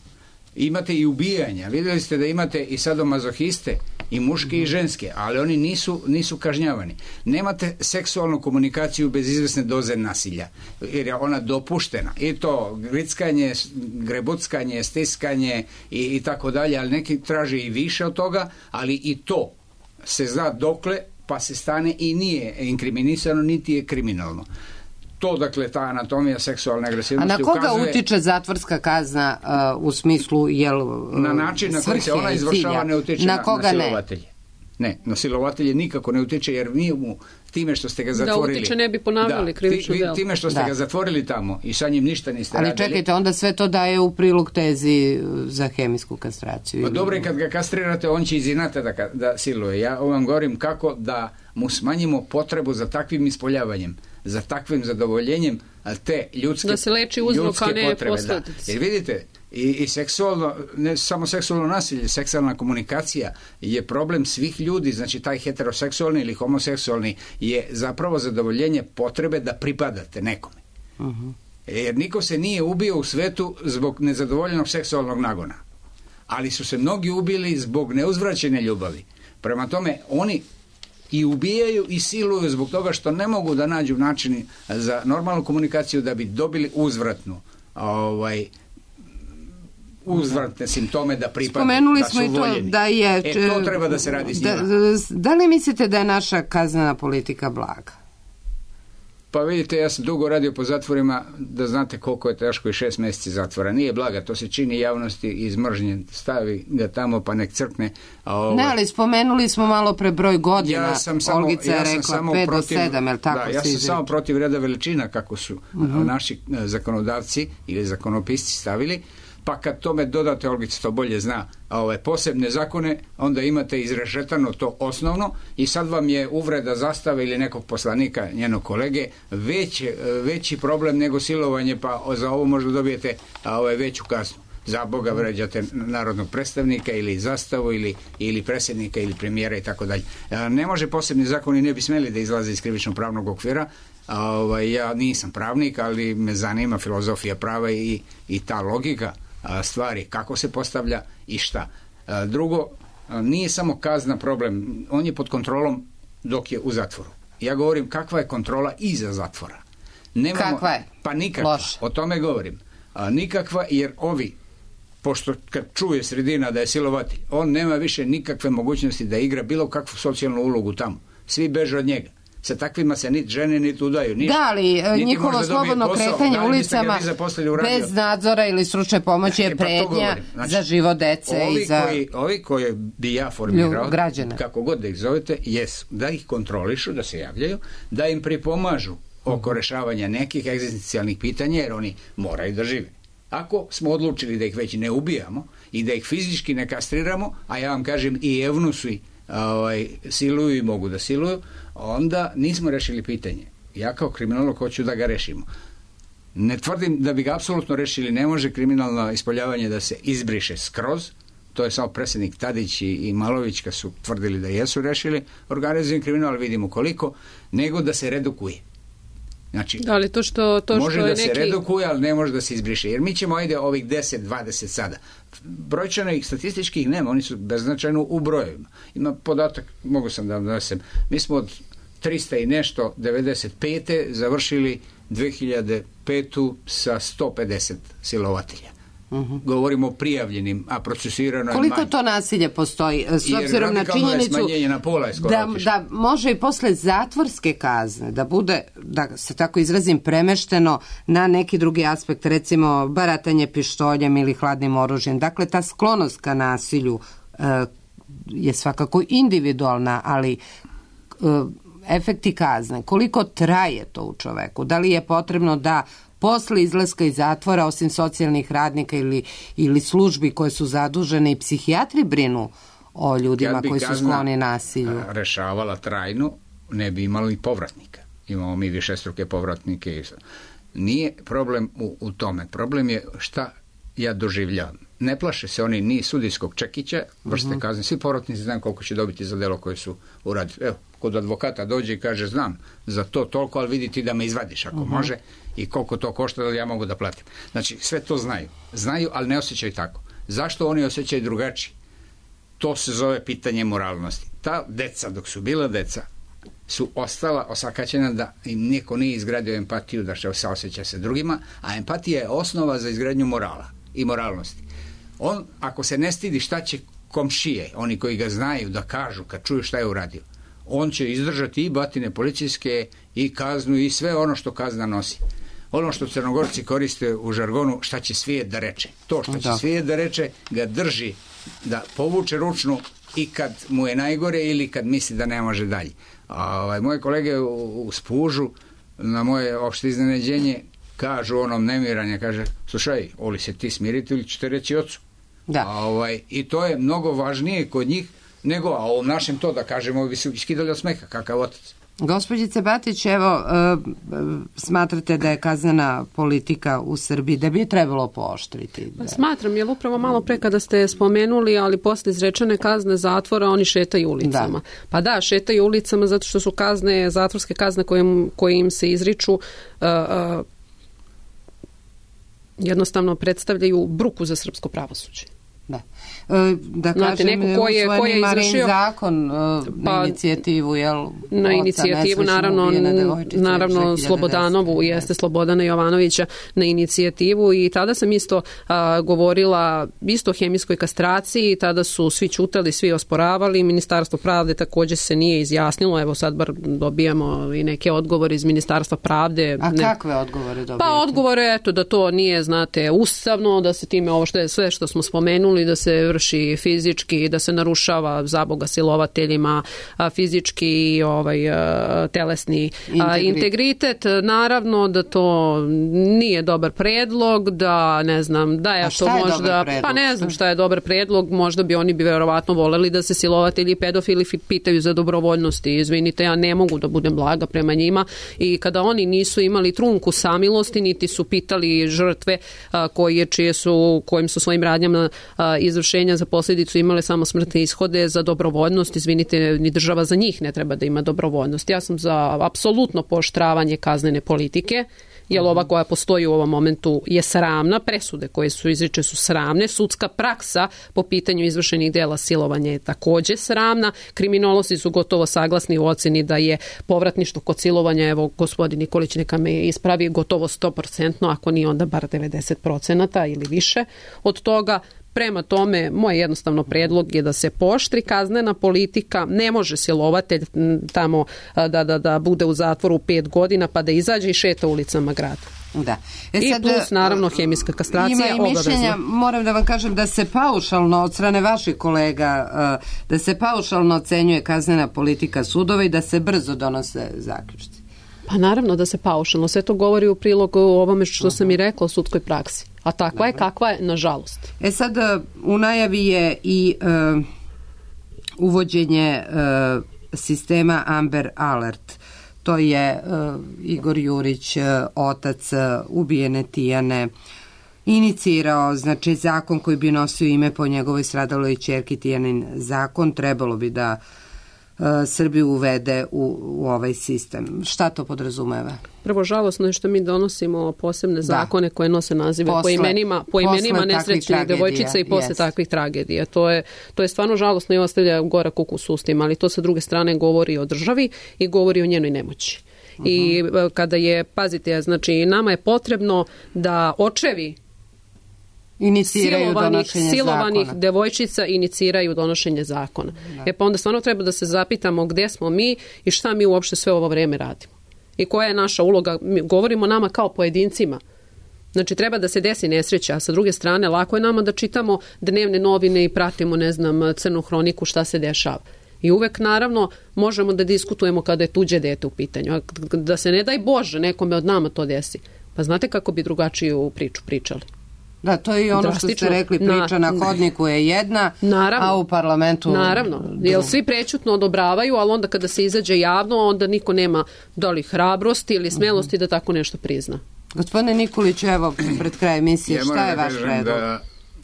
[SPEAKER 7] Imate i ubijanja, vidjeli ste da imate i sadomazohiste, i muške i ženske, ali oni nisu, nisu kažnjavani. Nemate seksualnu komunikaciju bez izvesne doze nasilja, jer je ona dopuštena. I to grickanje, grebuckanje, stiskanje i, i tako dalje, ali neki traže i više od toga, ali i to se zna dokle, pa se stane i nije inkriminisano, niti je kriminalno. To, dakle, ta anatomija seksualne agresivnosti ukazuje...
[SPEAKER 5] A na koga ukazuje, utiče zatvorska kazna uh, u smislu, jel... Uh,
[SPEAKER 7] na način na koji se ona izvršava ne utiče na, na silovatelje. Ne, na silovatelje nikako ne utiče, jer mi mu time što ste ga zatvorili...
[SPEAKER 6] Da utiče ne bi ponavljali
[SPEAKER 7] da,
[SPEAKER 6] krivično
[SPEAKER 7] ti,
[SPEAKER 6] delo.
[SPEAKER 7] Time što ste
[SPEAKER 5] da.
[SPEAKER 7] ga zatvorili tamo i sa njim ništa niste
[SPEAKER 5] Ali
[SPEAKER 7] radili...
[SPEAKER 5] Ali čekajte, onda sve to daje u prilog tezi za hemijsku kastraciju.
[SPEAKER 7] Pa dobro, i kad ga kastrirate, on će iz inata da, da siluje. Ja vam govorim kako da mu smanjimo potrebu za takvim ispoljavanjem, za takvim zadovoljenjem te ljudske,
[SPEAKER 6] da se leči uzrok, a ne
[SPEAKER 7] posledice. Da. Jer vidite, i, i seksualno, ne samo seksualno nasilje, seksualna komunikacija je problem svih ljudi, znači taj heteroseksualni ili homoseksualni je zapravo zadovoljenje potrebe da pripadate nekome. Uh-huh. Jer niko se nije ubio u svetu zbog nezadovoljenog seksualnog nagona. Ali su se mnogi ubili zbog neuzvraćene ljubavi. Prema tome, oni i ubijaju i siluju zbog toga što ne mogu da nađu način za normalnu komunikaciju da bi dobili uzvratnu ovaj, uzvratne simptome da pripadaju,
[SPEAKER 5] Spomenuli
[SPEAKER 7] da su
[SPEAKER 5] smo i to
[SPEAKER 7] voljeni.
[SPEAKER 5] Da je,
[SPEAKER 7] e, to treba da se radi s njima.
[SPEAKER 5] Da, da li mislite da je naša kaznena politika blaga?
[SPEAKER 7] Pa vidite, ja sam dugo radio po zatvorima, da znate koliko je teško i šest mjeseci zatvora. Nije blaga, to se čini javnosti iz mržnje, stavi ga tamo pa nek crkne. A ovo... Ne,
[SPEAKER 5] ali spomenuli smo malo pre broj godina,
[SPEAKER 7] ja sam samo,
[SPEAKER 5] Olgica je
[SPEAKER 7] ja
[SPEAKER 5] rekla pet do sedam, je li tako?
[SPEAKER 7] Da, ja sam samo protiv reda veličina kako su uh-huh. naši zakonodavci ili zakonopisci stavili, pa kad tome dodate, Olgica to bolje zna, ove posebne zakone, onda imate izrešetano to osnovno i sad vam je uvreda zastave ili nekog poslanika, njenog kolege, već, veći problem nego silovanje, pa za ovo možda dobijete ove veću kaznu. Za Boga vređate narodnog predstavnika ili zastavu ili, ili predsjednika ili premijera i tako dalje. Ne može posebni zakoni, ne bi smeli da izlaze iz krivično pravnog okvira. Ovaj, ja nisam pravnik, ali me zanima filozofija prava i, i ta logika stvari, kako se postavlja i šta. Drugo, nije samo kazna problem, on je pod kontrolom dok je u zatvoru. Ja govorim kakva je kontrola iza zatvora. Nemamo,
[SPEAKER 5] kakva je?
[SPEAKER 7] Pa nikakva,
[SPEAKER 5] Loš.
[SPEAKER 7] O tome govorim. A, nikakva, jer ovi, pošto kad čuje sredina da je silovatelj, on nema više nikakve mogućnosti da igra bilo kakvu socijalnu ulogu tamo. Svi beže od njega. Sa takvima se niti žene niti udaju. Ništa.
[SPEAKER 5] Da, ali njihovo slobodno kretanje ulicama bez nadzora ili stručne pomoći je pretnja znači, za život dece
[SPEAKER 7] ovi
[SPEAKER 5] i za
[SPEAKER 7] koji, ovi koje bi ja formirao, kako god da ih zovete, jesu da ih kontrolišu, da se javljaju, da im pripomažu oko rešavanja nekih egzistencijalnih pitanja, jer oni moraju da žive. Ako smo odlučili da ih već ne ubijamo i da ih fizički ne kastriramo, a ja vam kažem i evnusi ovaj, siluju i mogu da siluju, onda nismo rešili pitanje. Ja kao kriminolog hoću da ga rešimo. Ne tvrdim da bi ga apsolutno rešili, ne može kriminalno ispoljavanje da se izbriše skroz, to je samo predsjednik Tadić i, i Malović kad su tvrdili da jesu rešili organizovani kriminal, vidimo koliko, nego da se redukuje. Znači,
[SPEAKER 6] da li to što, to
[SPEAKER 7] može
[SPEAKER 6] što
[SPEAKER 7] da
[SPEAKER 6] je
[SPEAKER 7] se
[SPEAKER 6] neki...
[SPEAKER 7] redukuje, ali ne može da se izbriše. Jer mi ćemo, ajde, ovih deset dvadeset sada. Brojčano ih statističkih nema, oni su beznačajno u brojevima. Ima podatak, mogu sam da vam donesem, mi smo od trista i nešto devedeset pete završili dve hiljade petu sa sto pedeset silovatelja. Uh-huh. Govorimo o prijavljenim, a procesirano je manje.
[SPEAKER 5] Koliko to nasilje postoji s obzirom na činjenicu
[SPEAKER 7] na pola je
[SPEAKER 5] da, da može i posle zatvorske kazne da bude, da se tako izrazim, premešteno na neki drugi aspekt, recimo baratanje pištoljem ili hladnim oružjem. Dakle, ta sklonost ka nasilju uh, je svakako individualna, ali uh, efekti kazne, koliko traje to u čoveku? Da li je potrebno da posle izlaska iz zatvora, osim socijalnih radnika ili, ili službi koje su zadužene, i psihijatri brinu o ljudima koji su skloni nasilju?
[SPEAKER 7] Rešavala trajno, ne bi imali povratnika. Imamo mi višestruke povratnike. Nije problem u, u tome. Problem je šta ja doživljavam. Ne plaše se oni ni sudijskog čekića, vrste uh-huh. kazne. Svi povratnici znaju koliko će dobiti za delo koje su uradili. Evo, kod advokata dođe i kaže, znam za to toliko, ali vidi ti da me izvadiš ako uh-huh. može, i koliko to košta da ja mogu da platim. Znači, sve to znaju. Znaju, ali ne osjećaju tako. Zašto oni osjećaju drugačije? To se zove pitanje moralnosti. Ta deca, dok su bila deca, su ostala osakaćena da im niko nije izgradio empatiju, da se osjeća se drugima, a empatija je osnova za izgradnju morala i moralnosti. On, ako se ne stidi šta će komšije, oni koji ga znaju, da kažu kad čuju šta je uradio, on će izdržati i batine policijske i kaznu i sve ono što kazna nosi. Ono što Crnogorci koriste u žargonu, šta će svijet da reče. To što će da. svijet da reče ga drži da povuče ručnu, i kad mu je najgore ili kad misli da ne može dalje. A, ovaj, moje kolege u, u Spužu na moje opšte iznenađenje kažu onom nemiranja, kaže, slušaj, oli se ti smiriti ili ćete reći ocu.
[SPEAKER 5] Da.
[SPEAKER 7] A, ovaj, i to je mnogo važnije kod njih nego, a u našem to da kažemo bi se iskidali od smeha, kakav otac.
[SPEAKER 5] Gospođice Batić, evo, e, smatrate da je kaznena politika u Srbiji, da bi je trebalo pooštriti? Da...
[SPEAKER 6] Smatram, jer upravo malo pre kada ste spomenuli, ali posle izrečene kazne zatvora, oni šetaju ulicama. Da. Pa da, šetaju ulicama zato što su kazne, zatvorske kazne koje, koje im se izriču, uh, uh, jednostavno predstavljaju bruku za srpsko pravosuđe.
[SPEAKER 5] Da. Da
[SPEAKER 6] Znate,
[SPEAKER 5] kažem,
[SPEAKER 6] neko ko je, ko je izvršio
[SPEAKER 5] zakon pa, na inicijativu, jel?
[SPEAKER 6] Na inicijativu, naravno, naravno Slobodanovu, jeste Slobodana Jovanovića na inicijativu i tada sam isto a, govorila isto o hemijskoj kastraciji, tada su svi ćutali, svi osporavali, Ministarstvo pravde također se nije izjasnilo, evo sad bar dobijamo i neke odgovore iz Ministarstva pravde.
[SPEAKER 5] A
[SPEAKER 6] ne,
[SPEAKER 5] kakve odgovore dobijete?
[SPEAKER 6] Pa odgovore, eto, da to nije, znate, ustavno, da se time ovo što je sve što smo spomenuli, da se vrši fizički, da se narušava zaboga silovateljima fizički i ovaj, telesni integritet. integritet. Naravno da to nije dobar predlog, da ne znam, da je to možda, pa ne znam šta je dobar predlog, možda bi oni bi verovatno voleli da se silovatelji i pedofili pitaju za dobrovoljnosti. Izvinite, ja ne mogu da budem blaga prema njima i kada oni nisu imali trunku samilosti, niti su pitali žrtve koje, čije su, kojim su svojim radnjama izvršenja za posljedicu imale samo smrtne ishode, za dobrovoljnost, izvinite, ni država za njih ne treba da ima dobrovoljnost. Ja sam za apsolutno pooštravanje kaznene politike, jer ova koja postoji u ovom momentu je sramna, presude koje su izriče su sramne, sudska praksa po pitanju izvršenih dela silovanja je također sramna, kriminolozi su gotovo saglasni u oceni da je povratništvo kod silovanja, evo gospodin Nikolić neka me ispravi, gotovo sto posto, ako nije onda bar devedeset posto ili više od toga. Prema tome, moj jednostavno predlog je da se pooštri kaznena politika, ne može silovatelj tamo da, da, da bude u zatvoru pet godina pa da izađe i šeta ulicama grada.
[SPEAKER 5] Da. E
[SPEAKER 6] I
[SPEAKER 5] sad,
[SPEAKER 6] plus naravno hemijska kastracija je obavezna. Mišljenja,
[SPEAKER 5] moram da vam kažem da se paušalno od strane vaših kolega, da se paušalno ocenjuje kaznena politika sudova i da se brzo donose zaključci.
[SPEAKER 6] Pa naravno da se paušalno, sve to govori u prilog o ovome što uh-huh. sam i rekla o sudskoj praksi. A takva Dobre. je kakva je, nažalost.
[SPEAKER 5] E sad, u najavi je i uh, uvođenje uh, sistema Amber Alert. To je uh, Igor Jurić, uh, otac uh, ubijene Tijane, inicirao, znači zakon koji bi nosio ime po njegovoj stradaloj ćerki, Tijanin zakon, trebalo bi da Srbiju uvede u, u ovaj sistem. Šta to podrazumeva?
[SPEAKER 6] Prvo, žalosno je što mi donosimo posebne zakone da. koje nose nazive posle, po imenima, po imenima nesrećnih devojčica i posle yes. takvih tragedija. To je, to je stvarno žalosno i ostavlja gorak ukus u ustima, ali to sa druge strane govori o državi i govori o njenoj nemoći. Uh-huh. I kada je, pazite, znači nama je potrebno da očevi
[SPEAKER 5] iniciraju
[SPEAKER 6] silovanih, silovanih
[SPEAKER 5] zakona.
[SPEAKER 6] devojčica iniciraju donošenje zakona. Da. E pa onda stvarno treba da se zapitamo gdje smo mi i šta mi uopšte sve ovo vrijeme radimo. I koja je naša uloga. Mi govorimo nama kao pojedincima. Znači treba da se desi nesreća, a sa druge strane lako je nama da čitamo dnevne novine i pratimo, ne znam, crnu hroniku šta se dešava. I uvek naravno možemo da diskutujemo kada je tuđe dete u pitanju. A da se ne daj Bože nekome od nama to desi. Pa znate kako bi drugačiju priču pričali?
[SPEAKER 5] Da, to je i ono Drastično. što ste rekli, priča na, na hodniku je jedna,
[SPEAKER 6] naravno,
[SPEAKER 5] a u parlamentu...
[SPEAKER 6] Naravno, jer svi prećutno odobravaju, ali onda kada se izađe javno, onda niko nema da li hrabrosti ili smelosti uh-huh. da tako nešto prizna.
[SPEAKER 5] Gospodine Nikolić, evo, pred kraj emisije, ja šta je vaš predlog?
[SPEAKER 7] Da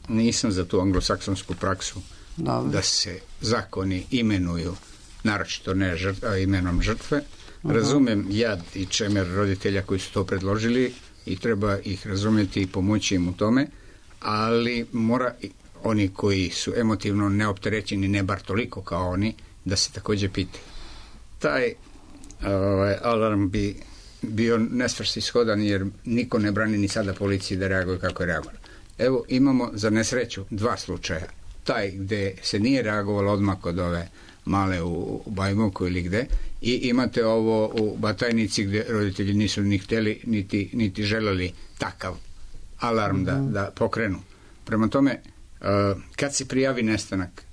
[SPEAKER 7] nisam za tu anglosaksonsku praksu Dobre. da se zakoni imenuju, naročito ne žrtva, imenom žrtve. Uh-huh. Razumem jad i čemer roditelja koji su to predložili, i treba ih razumjeti i pomoći im u tome, ali mora oni koji su emotivno neopterećeni, ne bar toliko kao oni, da se također pitaju. Taj ovaj, alarm bi bio nesvrsishodan jer niko ne brani ni sada policiji da reaguje kako je reagovalo. Evo imamo za nesreću dva slučaja. Taj gdje se nije reagovalo odmah kod ove male u Bajmoku ili gde, i imate ovo u Batajnici gdje roditelji nisu ni htjeli niti, niti želeli takav alarm da, da pokrenu. Prema tome, kad se prijavi nestanak,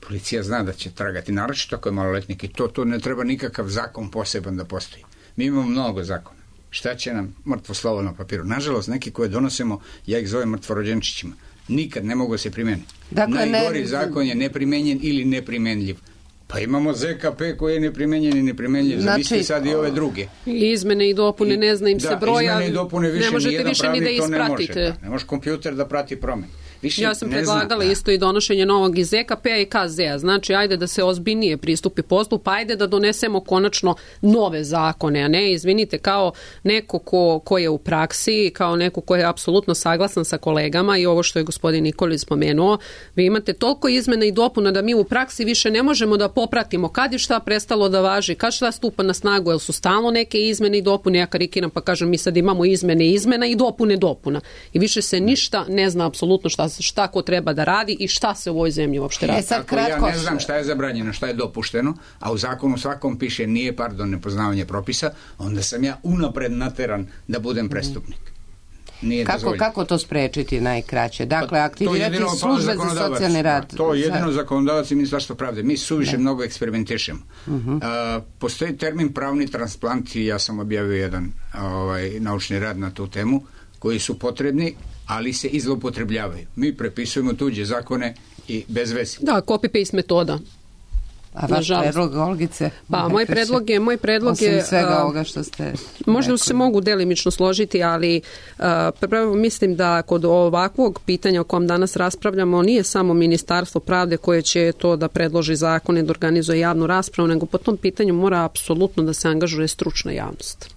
[SPEAKER 7] policija zna da će tragati, naročito ako je maloletnik i to, to ne treba nikakav zakon poseban da postoji. Mi imamo mnogo zakona. Šta će nam mrtvo slovo na papiru? Nažalost, neki koje donosimo, ja ih zovem mrtvorođenčićima. Nikad ne mogu se primeniti. Dakle, Najgori ne... zakon je neprimenjen ili neprimenljiv. Pa imamo Z K P koji je neprimenjen i neprimenljiv. Znači, zamislite sad i ove druge.
[SPEAKER 6] I izmene i dopune, ne zna im se
[SPEAKER 7] da,
[SPEAKER 6] broja.
[SPEAKER 7] Izmene i dopune više
[SPEAKER 6] ne možete više ni da ispratite.
[SPEAKER 7] Ne može, da. Ne može kompjuter da prati promen. Više
[SPEAKER 6] ja sam predlagala zna, isto i donošenje novog iz Z K P-a i K Z-a. Znači, ajde da se ozbiljnije pristupi poslu, pa ajde da donesemo konačno nove zakone, a ne, izvinite, kao neko ko, ko je u praksi, kao neko ko je apsolutno saglasan sa kolegama i ovo što je gospodin Nikolić spomenuo, vi imate toliko izmena i dopuna da mi u praksi više ne možemo da popratimo kad je šta prestalo da važi, kad šta stupa na snagu, jer su stalno neke izmene i dopune, ja karikiram pa kažem mi sad imamo izmene izmena i dopune dopuna. I više se ništa ne zna apsolutno šta šta ko treba da radi i šta se u ovoj zemlji uopšte radi.
[SPEAKER 7] E sad, kratko, ja ne znam šta je zabranjeno, šta je dopušteno, a u zakonu svakom piše nije, pardon, nepoznavanje propisa, onda sam ja unapred nateran da budem prestupnik. Nije
[SPEAKER 5] kako, kako to sprečiti najkraće? Dakle, aktivirati službe za socijalni rad.
[SPEAKER 7] To je jedino zakonodavac i Ministarstvo pravde. Mi suviše ne. mnogo eksperimentišemo. Uh-huh. Uh, postoji termin pravni transplant i ja sam objavio jedan ovaj, naučni rad na tu temu koji su potrebni, ali se i zloupotrebljavaju. Mi prepisujemo tuđe zakone i bez veze.
[SPEAKER 6] Da, copy-paste metoda.
[SPEAKER 5] A vaš predlog, Olgice?
[SPEAKER 6] Pa, moj predlog je... Moj predlog
[SPEAKER 5] je,
[SPEAKER 6] Osim
[SPEAKER 5] svega ovoga što ste...
[SPEAKER 6] Možda
[SPEAKER 5] rekli.
[SPEAKER 6] Se mogu delimično složiti, ali uh, prvo mislim da kod ovakvog pitanja o kom danas raspravljamo nije samo Ministarstvo pravde koje će to da predloži zakone, da organizuje javnu raspravu, nego po tom pitanju mora apsolutno da se angažuje stručna javnost.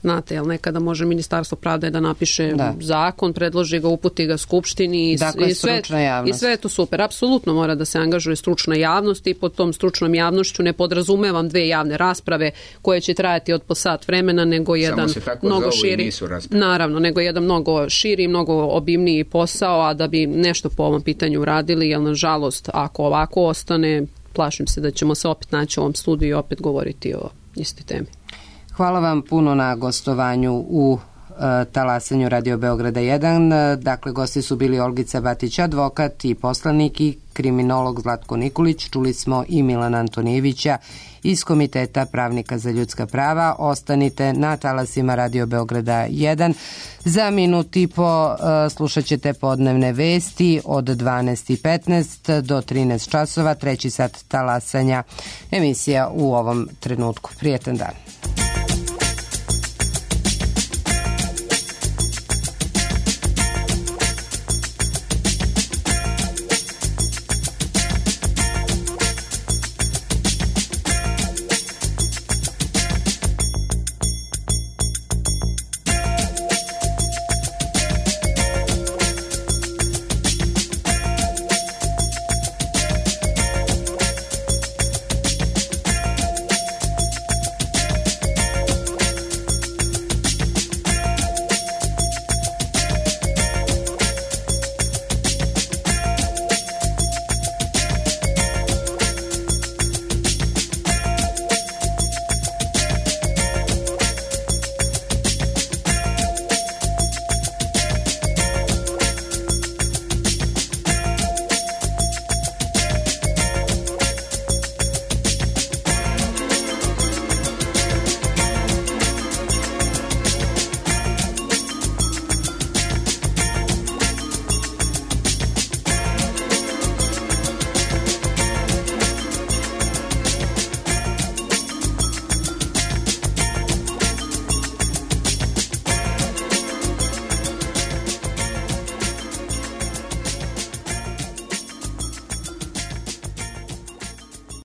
[SPEAKER 6] Znate, jel nekada može Ministarstvo pravde da napiše da. zakon, predloži ga, uputi ga Skupštini i,
[SPEAKER 5] dakle,
[SPEAKER 6] i, sve, i sve je to super. Apsolutno mora da se angažuje stručna javnost i pod tom stručnom javnošću ne podrazumevam dve javne rasprave koje će trajati od po sat vremena, nego jedan mnogo širi, naravno, nego jedan mnogo širi, mnogo obimniji posao, a da bi nešto po ovom pitanju uradili, jer nažalost, ako ovako ostane, plašim se da ćemo se opet naći u ovom studiju i opet govoriti o istoj temi.
[SPEAKER 5] Hvala vam puno na gostovanju u uh, talasanju Radio Beograda jedan. Dakle, gosti su bili Olgica Batić, advokat i poslanik, i kriminolog Zlatko Nikolić. Čuli smo i Milana Antonijevića iz Komiteta pravnika za ljudska prava. Ostanite na talasima Radio Beograda jedan. Za minut i po uh, slušat ćete podnevne vesti od dvanaest i petnaest do trinaest časova, treći sat talasanja, emisija u ovom trenutku. Prijetan dan.